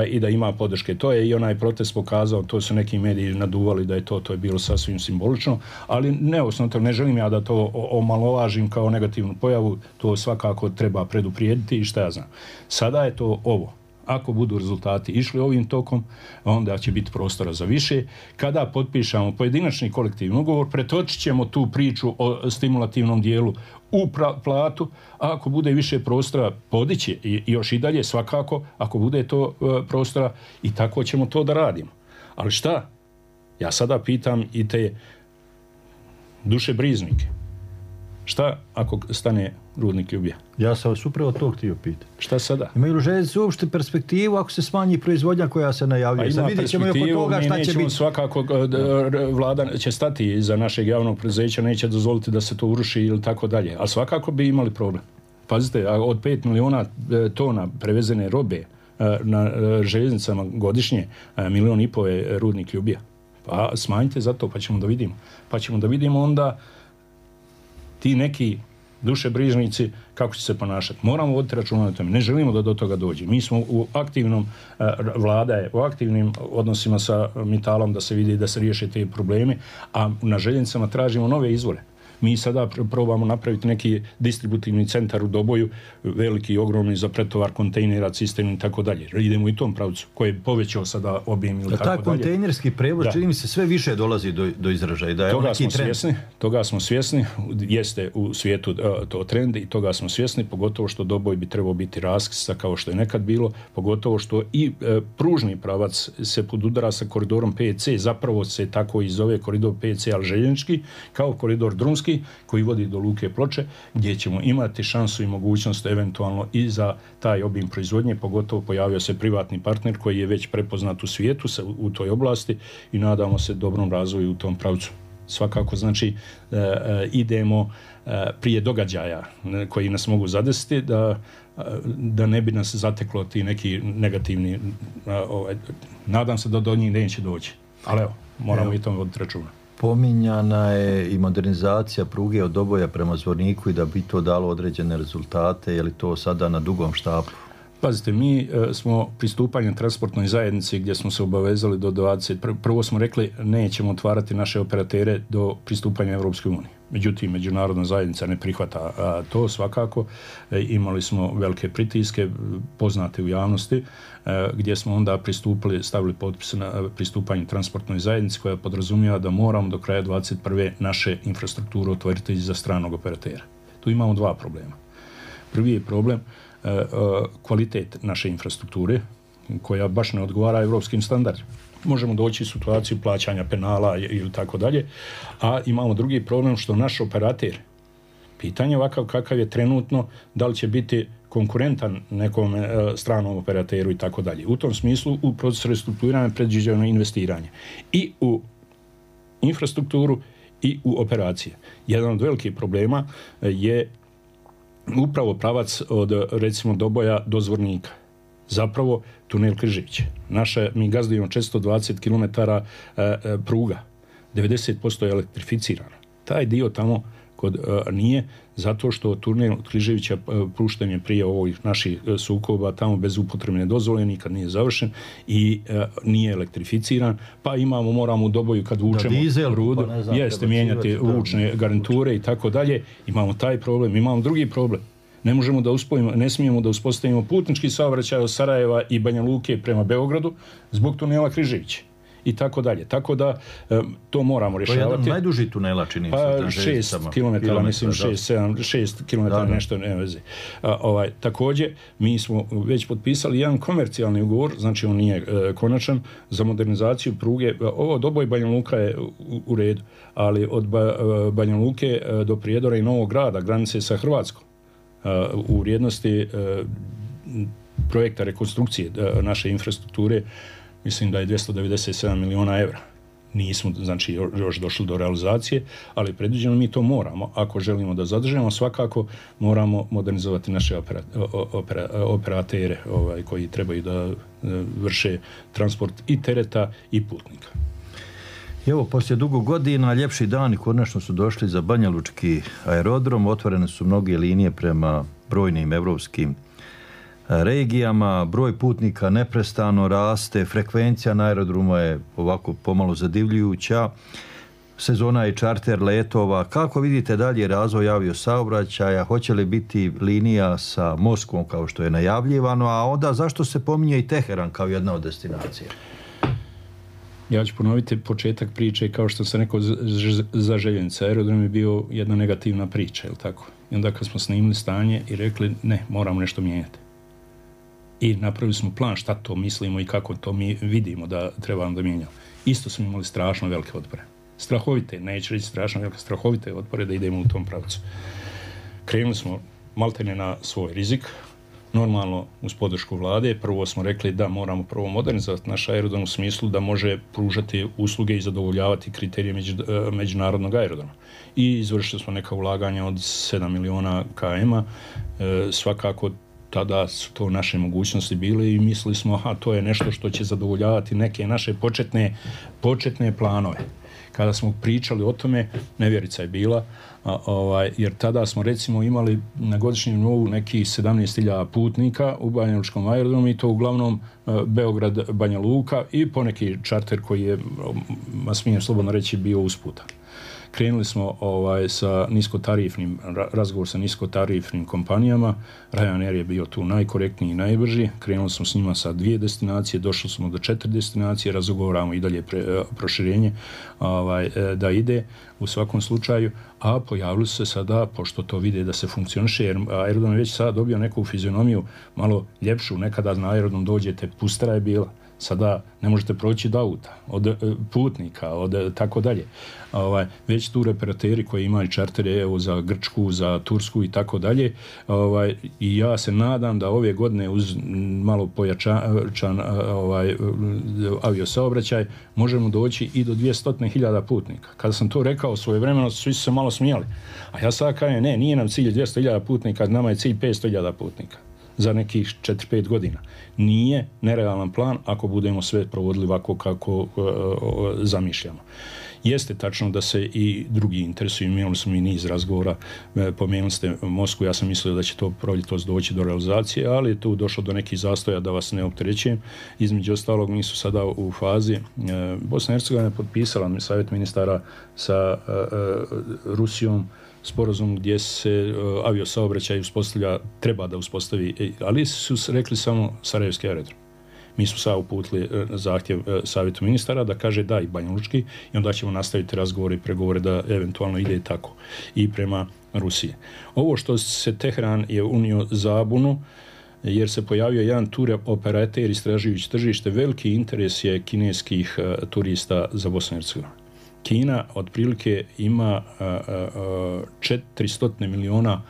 i da ima podrške. To je i onaj protest pokazao, to su neki mediji naduvali da je to je bilo sasvim simbolično, ali neosnovno, ne želim ja da to omalovažim kao negativnu pojavu, to svakako treba preduprijediti i šta ja znam. Sada je to ovo. Ako budu rezultati išli ovim tokom, onda će biti prostora za više. Kada potpišemo pojedinačni kolektivni ugovor, pretočit ćemo tu priču o stimulativnom dijelu u platu, a ako bude više prostora, podići i još i dalje svakako, ako bude to prostora, i tako ćemo to da radimo. Ali šta? Ja sada pitam i te dušebrižnike. Šta ako stane rudnik Ljubija? Ja sam vas upravo to htio pitati. Šta sada? Imaju li željeznice uopšte perspektivu ako se smanji proizvodnja koja se najavljuje? Ima perspektivu, mi nećemo svakako, vlada će stati iza našeg javnog preduzeća, neće dozvoliti da se to uruši ili tako dalje. Ali svakako bi imali problem. Pazite, od 5 miliona tona prevezene robe na željeznicama godišnje, 1,5 miliona je rudnik Ljubija. Pa smanjite za to, pa ćemo da vidimo. Pa ćemo da vidimo onda ti neki dušebrižnici kako će se ponašati. Moramo voditi računa na tome. Ne želimo da do toga dođe. Mi smo u aktivnom, vlada je u aktivnim odnosima sa Mitalom da se vidi da se riješe te probleme, a na željeznicama tražimo nove izvore. Mi sada probamo napraviti neki distributivni centar u Doboju, veliki i ogromni za pretovar kontejnera, cisterni i tako dalje. Idemo i tom pravcu koji je povećao sada objem ili tako dalje. Taj kontejnerski prevoz čini mi se sve više dolazi do izražaja. Da je toga smo svjesni, jeste u svijetu to trend i toga smo svjesni, pogotovo što Doboj bi trebao biti raskrsnica kao što je nekad bilo, pogotovo što i pružni pravac se podudara sa koridorom 5C, zapravo se tako i zove koridor 5C, ali željeznički, kao koridor drumski koji vodi do Luke Ploče, gdje ćemo imati šansu i mogućnost eventualno i za taj obim proizvodnje, pogotovo pojavio se privatni partner koji je već prepoznat u svijetu u toj oblasti i nadamo se dobrom razvoju u tom pravcu. Svakako, znači, idemo prije događaja koji nas mogu zadesiti da ne bi nas zateklo ti neki negativni, nadam se da do njih neće doći. Ali evo, moramo i tome voditi računa. Pominjana je i modernizacija pruge od Doboja prema Zvorniku i da bi to dalo određene rezultate. Je li to sada na dugom štapu? Pazite, mi smo pristupanjem transportnoj zajednici gdje smo se obavezali do 20. Prvo smo rekli nećemo otvarati naše operatere do pristupanja Europske unije. Međutim, međunarodna zajednica ne prihvata to svakako. Imali smo velike pritiske poznate u javnosti gdje smo onda stavili potpis na pristupanje transportnoj zajednici koja podrazumijeva da moramo do kraja 2021. naše infrastrukturu otvoriti za stranog operatera. Tu imamo dva problema. Prvi je problem kvalitet naše infrastrukture koja baš ne odgovara europskim standardima. Možemo doći u situaciju plaćanja penala ili tako dalje, a imamo drugi problem što naš operater, pitanje ovakav kakav je trenutno, da li će biti konkurentan nekom stranom operateru i tako dalje. U tom smislu u procesu restrukturiranja predviđeno investiranje i u infrastrukturu i u operacije. Jedan od velikih problema je upravo pravac od recimo Doboja do Zvornika. Zapravo tunel Križević. Mi gazdujemo 420 km pruga. 90% je elektrificirano. Taj dio tamo nije, zato što tunel Križevića pušten je prije ovih naših sukoba tamo bez upotrebne dozvole, nikad nije završen i nije elektrificiran, pa moramo u Doboju kad vučemo rudu, jeste mijenjati vučne garniture i tako dalje. Imamo taj problem, imamo drugi problem. Ne smijemo da uspostavimo putnički saobraćaj od Sarajeva i Banja Luke prema Beogradu zbog tunela Križević i tako dalje. Tako da to moramo rješavati. To je jedan najduži tunela, čini se. 6 km, mislim 6 km, nešto ne veze. Također, mi smo već potpisali jedan komercijalni ugovor, znači on nije konačan, za modernizaciju pruge. Ovo Doboj Banja Luka je u redu, ali od Banja Luke do Prijedora i Novog Grada, granice sa Hrvatskom, u vrijednosti projekta rekonstrukcije naše infrastrukture, mislim da je 297 miliona evra. Nismo, znači, još došli do realizacije, ali predviđeno mi to moramo. Ako želimo da zadržimo, svakako moramo modernizovati naše operatere koji trebaju da vrše transport i tereta i putnika. Evo, poslije dugo godina, ljepši dani konačno su došli za Banjalučki aerodrom. Otvorene su mnoge linije prema brojnim evropskim regijama, broj putnika neprestano raste, frekvencija na aerodromu je ovako pomalo zadivljujuća. sezona i čarter letova. Kako vidite dalje razvoj aviosaobraćaja? Hoće li biti linija sa Moskvom kao što je najavljivano, a onda zašto se pominje i Teheran kao jedna od destinacija? Ja ću ponoviti početak priče, kao što sam rekao za željeznice. Aerodrom je bio jedna negativna priča, je li tako? I onda kad smo snimili stanje i rekli ne, moramo nešto mijenjati. I napravili smo plan šta to mislimo i kako to mi vidimo da trebamo da mijenjamo. Isto smo imali strašno velike otpore. Strahovite, neću reći strašno velike, strahovite otpore da idemo u tom pravcu. Krenuli smo maltene na svoj rizik, normalno uz podršku vlade. Prvo smo rekli da moramo prvo modernizovati naš aerodrom u smislu da može pružati usluge i zadovoljavati kriterije međunarodnog aerodroma. I izvršili smo neka ulaganja od 7 miliona km-a. Svakako tada su to naše mogućnosti bile i mislili smo to je nešto što će zadovoljavati neke naše početne planove. Kada smo pričali o tome, nevjerica je bila, jer tada smo recimo imali na godišnjem nivou nekih 17.000 putnika u Banjalučkom aerodromu i to uglavnom Beograd, Banja Luka i poneki čarter koji je, smijem slobodno reći, bio usputa. Krenuli smo sa niskotarifnim, razgovor sa niskotarifnim kompanijama. Ryanair je bio tu najkorektniji i najbrži. Krenuli smo s njima sa 2 destinacije, došli smo do 4 destinacije, razgovaramo i dalje proširenje da ide u svakom slučaju, a pojavili su se sada, pošto to vide da se funkcioniše, jer aerodrom je već sada dobio neku fizionomiju malo ljepšu. Nekada na aerodrom dođete, pustara je bila. Sada ne možete proći od auta, od putnika, od tako dalje. Već tu operateri koji imaju čartere za Grčku, za Tursku i tako dalje. I ja se nadam da ove godine uz malo pojačan aviosaobraćaj možemo doći i do 200.000 putnika. Kada sam to rekao svojevremeno, svi su se malo smijali. A ja sad kažem, ne, nije nam cilj 200.000 putnika, nama je cilj 500.000 putnika za nekih 4-5 godina. Nije nerealan plan ako budemo sve provodili ovako kako zamišljamo. Jeste tačno da se i drugi interesuju, imali smo i niz razgovora, pomenuli ste Moskvu, ja sam mislio da će to proljetos doći do realizacije, ali je tu došlo do nekih zastoja, da vas ne opterećujem. Između ostalog, mi su sada u fazi, Bosna i Hercegovina je potpisala savjet ministara sa Rusijom sporazum gdje se aviosaobraćaj uspostavlja, treba da uspostavi, ali su rekli samo Sarajevski aerodrom. Mi smo sad uputili zahtjev savjetu ministara da kaže da i Banjalučki i onda ćemo nastaviti razgovore i pregovore da eventualno ide tako i prema Rusiji. Ovo što se Teheran je unio zabunu, jer se pojavio jedan tur operater istražujući tržište, veliki interes je kineskih turista za Bosnu i Hercegovinu. Kina otprilike ima 400 miliona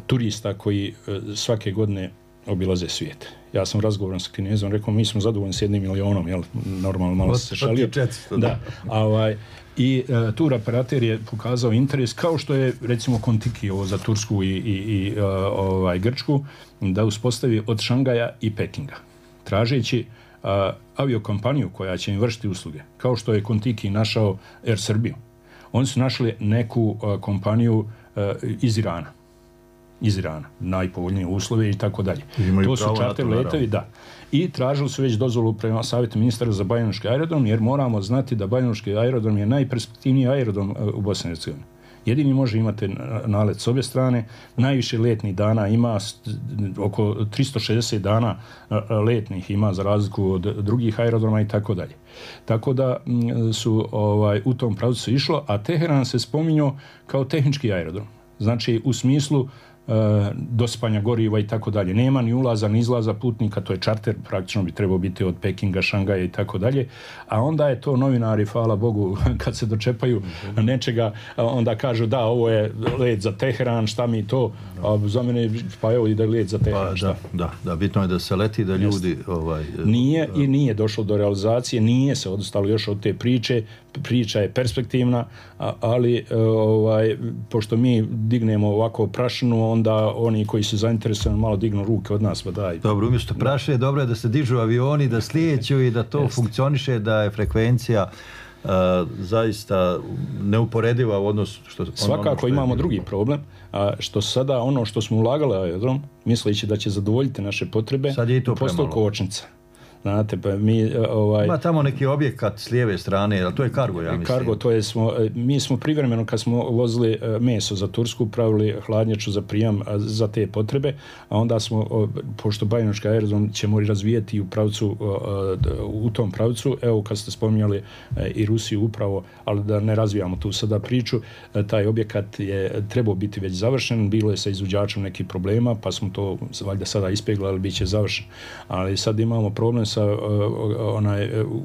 turista koji svake godine obilaze svijet. Ja sam razgovoran sa Kinezom, rekao mi smo zadovoljni s 1 milionom, jel? Normalno malo se šalio. Da. I tur operater je pokazao interes, kao što je recimo Kontiki za Tursku i Grčku, da uspostavi od Šangaja i Pekinga, tražeći aviokompaniju koja će im vršiti usluge, kao što je Kontiki našao Air Srbiju. Oni su našli neku kompaniju iz Irana, najpovoljnije uslove i tako dalje. To su čarter letovi, da. I tražili su već dozvolu prema savjetu ministara za Banjalučki aerodrom, jer moramo znati da Banjalučki aerodrom je najperspektivniji aerodrom u Bosni i Hercegovini. Jedini može imati nalet s obje strane, najviše letnih dana ima, oko 360 dana letnih ima za razliku od drugih aerodroma i tako dalje. Tako da su u tom pravcu išlo, a Teheran se spominjao kao tehnički aerodrom. Znači u smislu dospanja goriva i tako dalje. Nema ni ulaza ni izlaza putnika, to je čarter, praktično bi trebao biti od Pekinga, Šangaja i tako dalje, a onda je to novinari, hvala Bogu, kad se dočepaju nečega, onda kažu da, ovo je let za Teheran, šta mi to, a za mene, pa evo ide let za Teheran. Da, bitno je da se leti, da ljudi... Nije došlo do realizacije, nije se odostalo još od te priče, priča je perspektivna, ali pošto mi dignemo ovako prašinu, onda oni koji su zainteresovani malo dignu ruke od nas, pa daj. Dobro, umjesto prašine, dobro je da se dižu avioni, da slijeću i da to funkcioniše, da je frekvencija zaista neuporediva u odnosu što... Svakako imamo drugi problem, što sada ono što smo ulagali aerodrom, misleći da će zadovoljiti naše potrebe, sad je i to postao kočnica. Znate, pa mi... Ima tamo neki objekat s lijeve strane, ali to je Cargo, ja mislim. Cargo, to je mi smo privremeno, kad smo vozili meso za Tursku, pravili hladnjaču za prijam za te potrebe, a onda smo, pošto Bajinočki aerodrom ćemo razvijeti u tom pravcu, evo kad ste spominjali i Rusiju upravo, ali da ne razvijamo tu sada priču, taj objekat je trebao biti već završen, bilo je sa izvođačem nekih problema, pa smo to valjda sada ispeglali, bit će završen. Ali sad imamo problem sa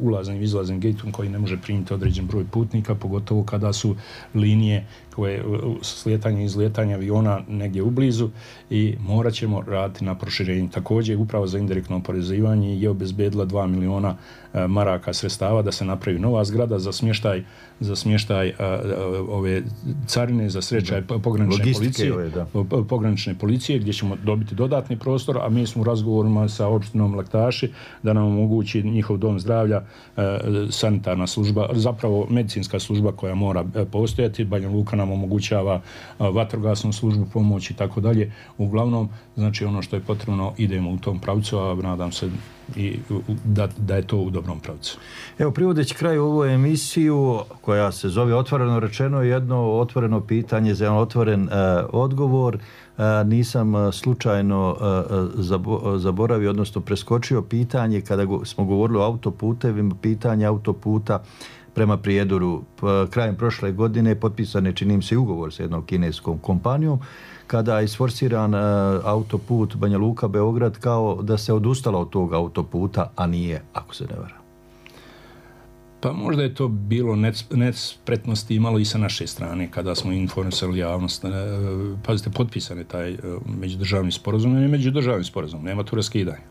ulaznim i izlaznim gateom koji ne može primiti određen broj putnika, pogotovo kada su linije koje slijetanje i izlijetanje aviona negdje ublizu i morat ćemo raditi na proširenju. Također, upravo za indirektno oporezivanje je obezbedila 2 miliona maraka sredstava da se napravi nova zgrada za smještaj ove carine, za srećaj pogranične policije, gdje ćemo dobiti dodatni prostor, a mi smo u razgovorima sa opštinom Laktaši da nam omogući njihov dom zdravlja, sanitarna služba, zapravo medicinska služba koja mora postojati. Banja Luka nam omogućava vatrogasnu službu, pomoć i tako dalje. Uglavnom, znači ono što je potrebno, idemo u tom pravcu, a nadam se i da je to u dobrom pravcu. Evo, privodeći kraju ovu emisiju koja se zove Otvoreno rečeno, jedno otvoreno pitanje za jedan otvoren odgovor. Nisam slučajno zaboravio, odnosno preskočio pitanje kada smo govorili o autoputevima, pitanje autoputa prema Prijedoru. Krajem prošle godine potpisan je, čini mi se, ugovor sa jednom kineskom kompanijom kada je isforsiran autoput Banja Luka-Beograd kao da se odustalo od tog autoputa, a nije, ako se ne varam. Pa možda je to bilo nespretnosti imalo i sa naše strane kada smo informisali javnost. Pazite, potpisan je taj međudržavni sporazum, ne međudržavni sporazum, nema tu raskidanja,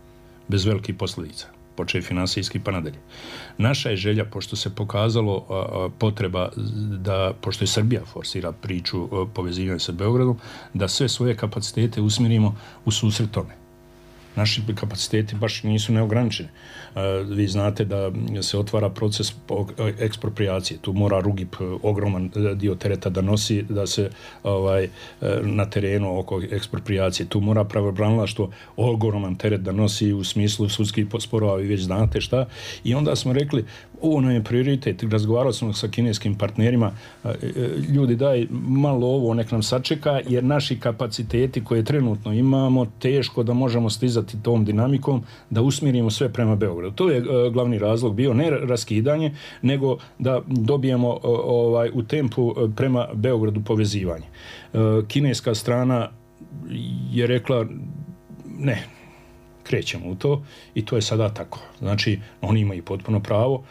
bez velikih posljedica, počev finansijski pa nadalje. Naša je želja, pošto se pokazalo potreba da, pošto je Srbija forsira priču povezivanja sa Beogradom, da sve svoje kapacitete usmjerimo u susret tome. Naši kapaciteti baš nisu neograničeni. Vi znate da se otvara proces ekspropriacije. Tu mora Rugip ogroman dio tereta da nosi, da se na terenu oko ekspropriacije. Tu mora pravobranilaštvo ogroman teret da nosi u smislu sudskih sporova, vi već znate šta. I onda smo rekli, ovo nam je prioritet. Razgovarali smo sa kineskim partnerima, ljudi daj malo ovo, nek nam sačeka, jer naši kapaciteti koje trenutno imamo, teško da možemo stizati tom dinamikom, da usmjerimo sve prema Beogradu. To je glavni razlog bio, ne raskidanje, nego da dobijemo u tempu prema Beogradu povezivanje. Kineska strana je rekla ne, krećemo u to i to je sada tako. Znači, oni imaju potpuno pravo,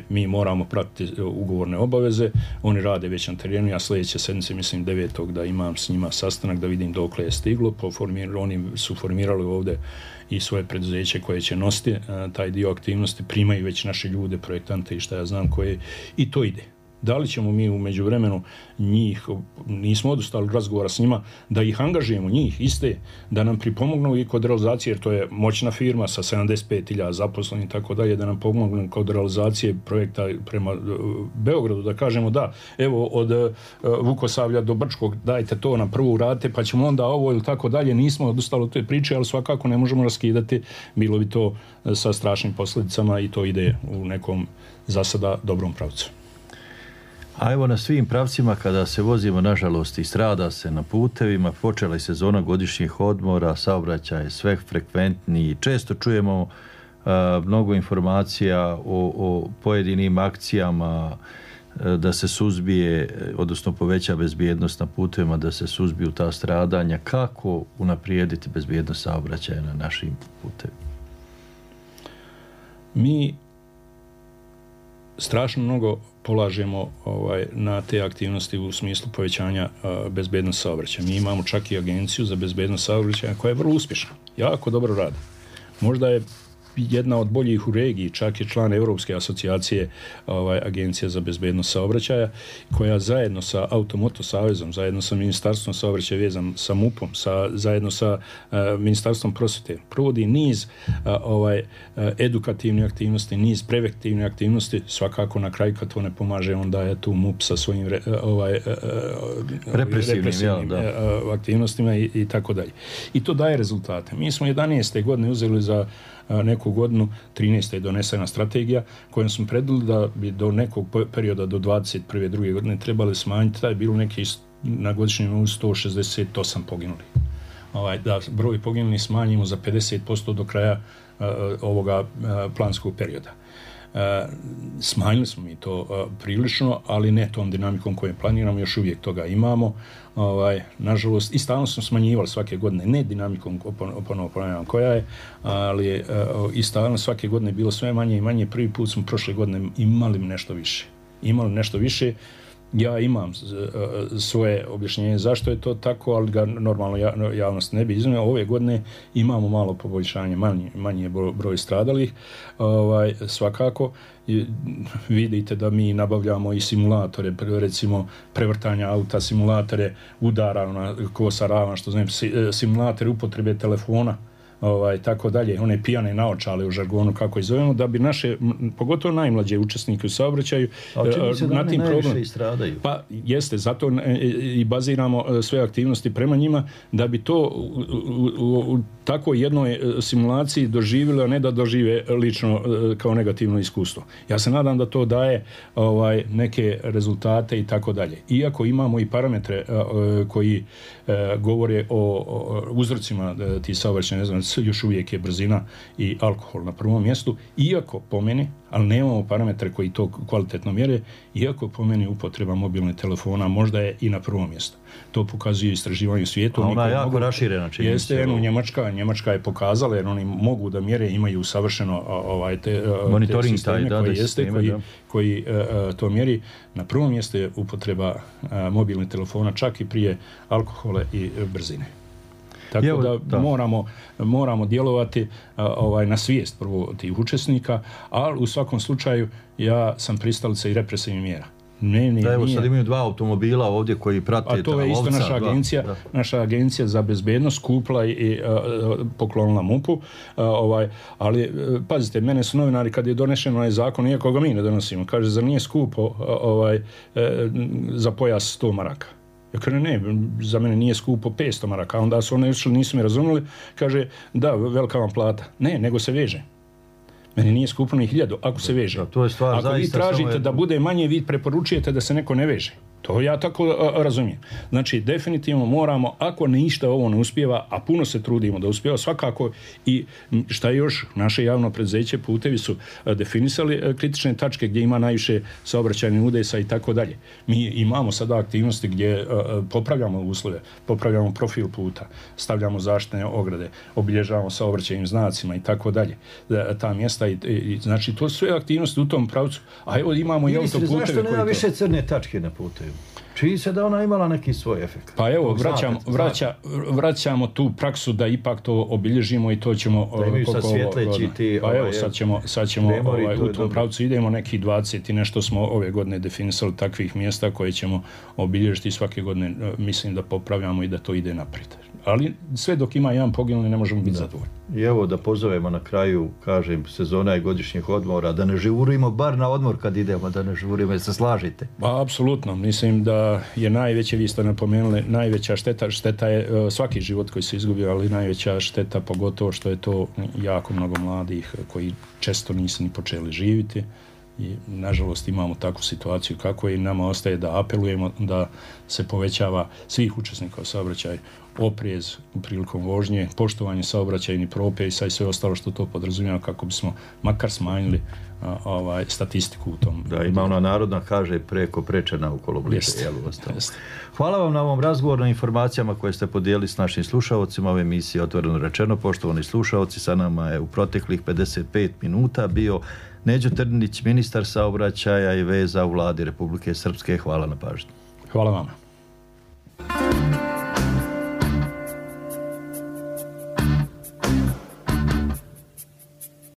mi moramo pratiti ugovorne obaveze, oni rade već na terenu, ja sljedeće sedmice, mislim 9. da imam s njima sastanak da vidim dokle je stiglo, oni su formirali ovdje i svoje preduzeće koje će nositi taj dio aktivnosti, primaju već naše ljude, projektante i šta ja znam koje, i to ide. Da li ćemo mi u međuvremenu njih, nismo odustali razgovora s njima, da ih angažujemo, njih iste, da nam pripomognu i kod realizacije, jer to je moćna firma sa 75.000 zaposlenih i tako dalje, da nam pomognu kod realizacije projekta prema Beogradu, da kažemo da, evo od Vukosavlja do Brčkog dajte to na prvu rate, pa ćemo onda ovo ili tako dalje, nismo odustali od te priče, ali svakako ne možemo raskidati, bilo bi to sa strašnim posljedicama i to ide u nekom za sada dobrom pravcu. A evo na svim pravcima kada se vozimo, nažalost, i strada se na putevima, počela je sezona godišnjih odmora, saobraćaj je sve frekventniji, često čujemo mnogo informacija o pojedinim akcijama da se suzbije, odnosno poveća bezbjednost na putevima, da se suzbiju ta stradanja. Kako unaprijediti bezbjednost saobraćaja na našim putevima? Mi strašno mnogo polažemo na te aktivnosti u smislu povećanja bezbednosti saobraćaja. Mi imamo čak i agenciju za bezbednost saobraćaja koja je vrlo uspješna, jako dobro radi. Možda je jedna od boljih u regiji, čak je član Europske asocijacije Agencija za bezbednost saobraćaja, koja zajedno sa Automoto savezom, zajedno sa Ministarstvom saobraćaja vezan sa MUP-om, zajedno sa Ministarstvom prosvjete, provodi niz edukativnih aktivnosti, niz preventivnih aktivnosti, svakako na kraju kad to ne pomaže, onda je tu MUP sa svojim represivnim aktivnostima i tako dalje. I to daje rezultate. Mi smo 11. godine uzeli za neku svaku godinu. 13. je donesena strategija kojom smo predvidjeli da bi do nekog perioda do 21. druge godine trebali smanjiti, da je bilo neki na godišnjem nivou 168 poginulih. Da broj poginulih smanjimo za 50% do kraja ovoga planskog perioda. Smanjili smo mi to prilično, ali ne tom dinamikom koju planiramo, još uvijek toga imamo. Nažalost, i stalno smo smanjivali svake godine, ne dinamikom ponovno ponavljam koja je, ali i stalno svake godine bilo sve manje i manje. Prvi put smo prošle godine imali nešto više. Ja imam svoje objašnjenje zašto je to tako, ali ga normalno javnost ne bi iznio. Ove godine imamo malo poboljšanje, manji je broj stradalih, svakako. Vidite da mi nabavljamo i simulatore, recimo prevrtanja auta, simulatore udara na kosa ravan, što znam, simulatore upotrebe telefona, tako dalje, one pijane naočale u žargonu, kako ih zovemo, da bi naše, pogotovo najmlađe učesnike u saobraćaju, na tim problemom. Pa jeste, zato i baziramo sve aktivnosti prema njima, da bi to u takvoj jednoj simulaciji doživjeli, a ne da dožive lično kao negativno iskustvo. Ja se nadam da to daje neke rezultate i tako dalje. Iako imamo i parametre koji govore o uzrocima tih saobraćaja, ne znam, još uvijek je brzina i alkohol na prvom mjestu, iako po meni, ali nemamo parametre koji to kvalitetno mjere, iako po meni upotreba mobilnih telefona možda je i na prvom mjestu. To pokazuju istraživanje u svijetu. A ona je jako raširena čini. Jeste, Njemačka je pokazala, jer oni mogu da mjere, imaju savršeno te sisteme koji to mjeri. Na prvom mjestu je upotreba mobilnih telefona, čak i prije alkohola i brzine. Tako da moramo djelovati na svijest prvo tih učesnika, ali u svakom slučaju ja sam pristalica i represivnih mjera. Sad imaju 2 automobila ovdje koji prate. A to je isto naša agencija za bezbednost kupila i poklonila MUP-u. Ali pazite, mene su novinari kad je donešen ovaj zakon, iako ga mi ne donosimo, kaže, zar nije skupo za pojas 100 maraka? Ja kažem, ne, za mene nije skupo 500 maraka. Onda su oni nisu me razumjeli, kaže, da, velika vam plata. Ne, nego se veže. Meni nije skupo ni 1000 ako se veže. Ako vi tražite da bude manje, vi preporučujete da se neko ne veže. To ja tako razumijem. Znači, definitivno moramo, ako ništa ovo ne uspijeva, a puno se trudimo da uspijeva, svakako i šta još, naše javno preduzeće Putevi su definisali kritične tačke gdje ima najviše saobraćajnih udesa i tako dalje. Mi imamo sada aktivnosti gdje popravljamo uslove, popravljamo profil puta, stavljamo zaštitne ograde, obilježavamo saobraćajnim znacima i tako dalje. Ta mjesta i znači to su sve aktivnosti u tom pravcu. A evo imamo i autoputeve. Zašto nema više crne tačke na putevi? Čini se da ona imala neki svoj efekt. Pa evo, vraćamo tu praksu da ipak to obilježimo i to ćemo... Da imaju sad svjetleći ti... Pa evo, sad ćemo u tom pravcu idemo, neki 20 i nešto smo ove godine definisali takvih mjesta koje ćemo obilježiti svake godine. Mislim da popravljamo i da to ide naprijed. Ali sve dok ima jedan poginuli ne možemo biti zadovoljni. I evo da pozovemo na kraju, kažem, sezona i godišnjih odmora, da ne žurimo bar na odmor kad idemo, da ne žurimo, jer se slažite. Pa, apsolutno. Mislim da je najveće, vi ste napomenuli, najveća šteta je svaki život koji se izgubio, ali najveća šteta pogotovo što je to jako mnogo mladih koji često nisu ni počeli živjeti. I nažalost imamo takvu situaciju kako je i nama ostaje da apelujemo da se povećava svih učesnika u saobraćaju oprez prilikom vožnje, poštovanje saobraćajnih propisa i sve ostalo što to podrazumijeva kako bismo makar smanjili statistiku u tom. Da, ima ona narodna kaže preko prečena ukolo bliže. Hvala vam na ovom razgovoru, na informacijama koje ste podijelili s našim slušalcima ove emisije Otvoreno rečeno. Poštovani slušalci, sa nama je u proteklih 55 minuta bio Neđo Trninić, ministar saobraćaja i veza u vladi Republike Srpske. Hvala na pažnji. Hvala vama.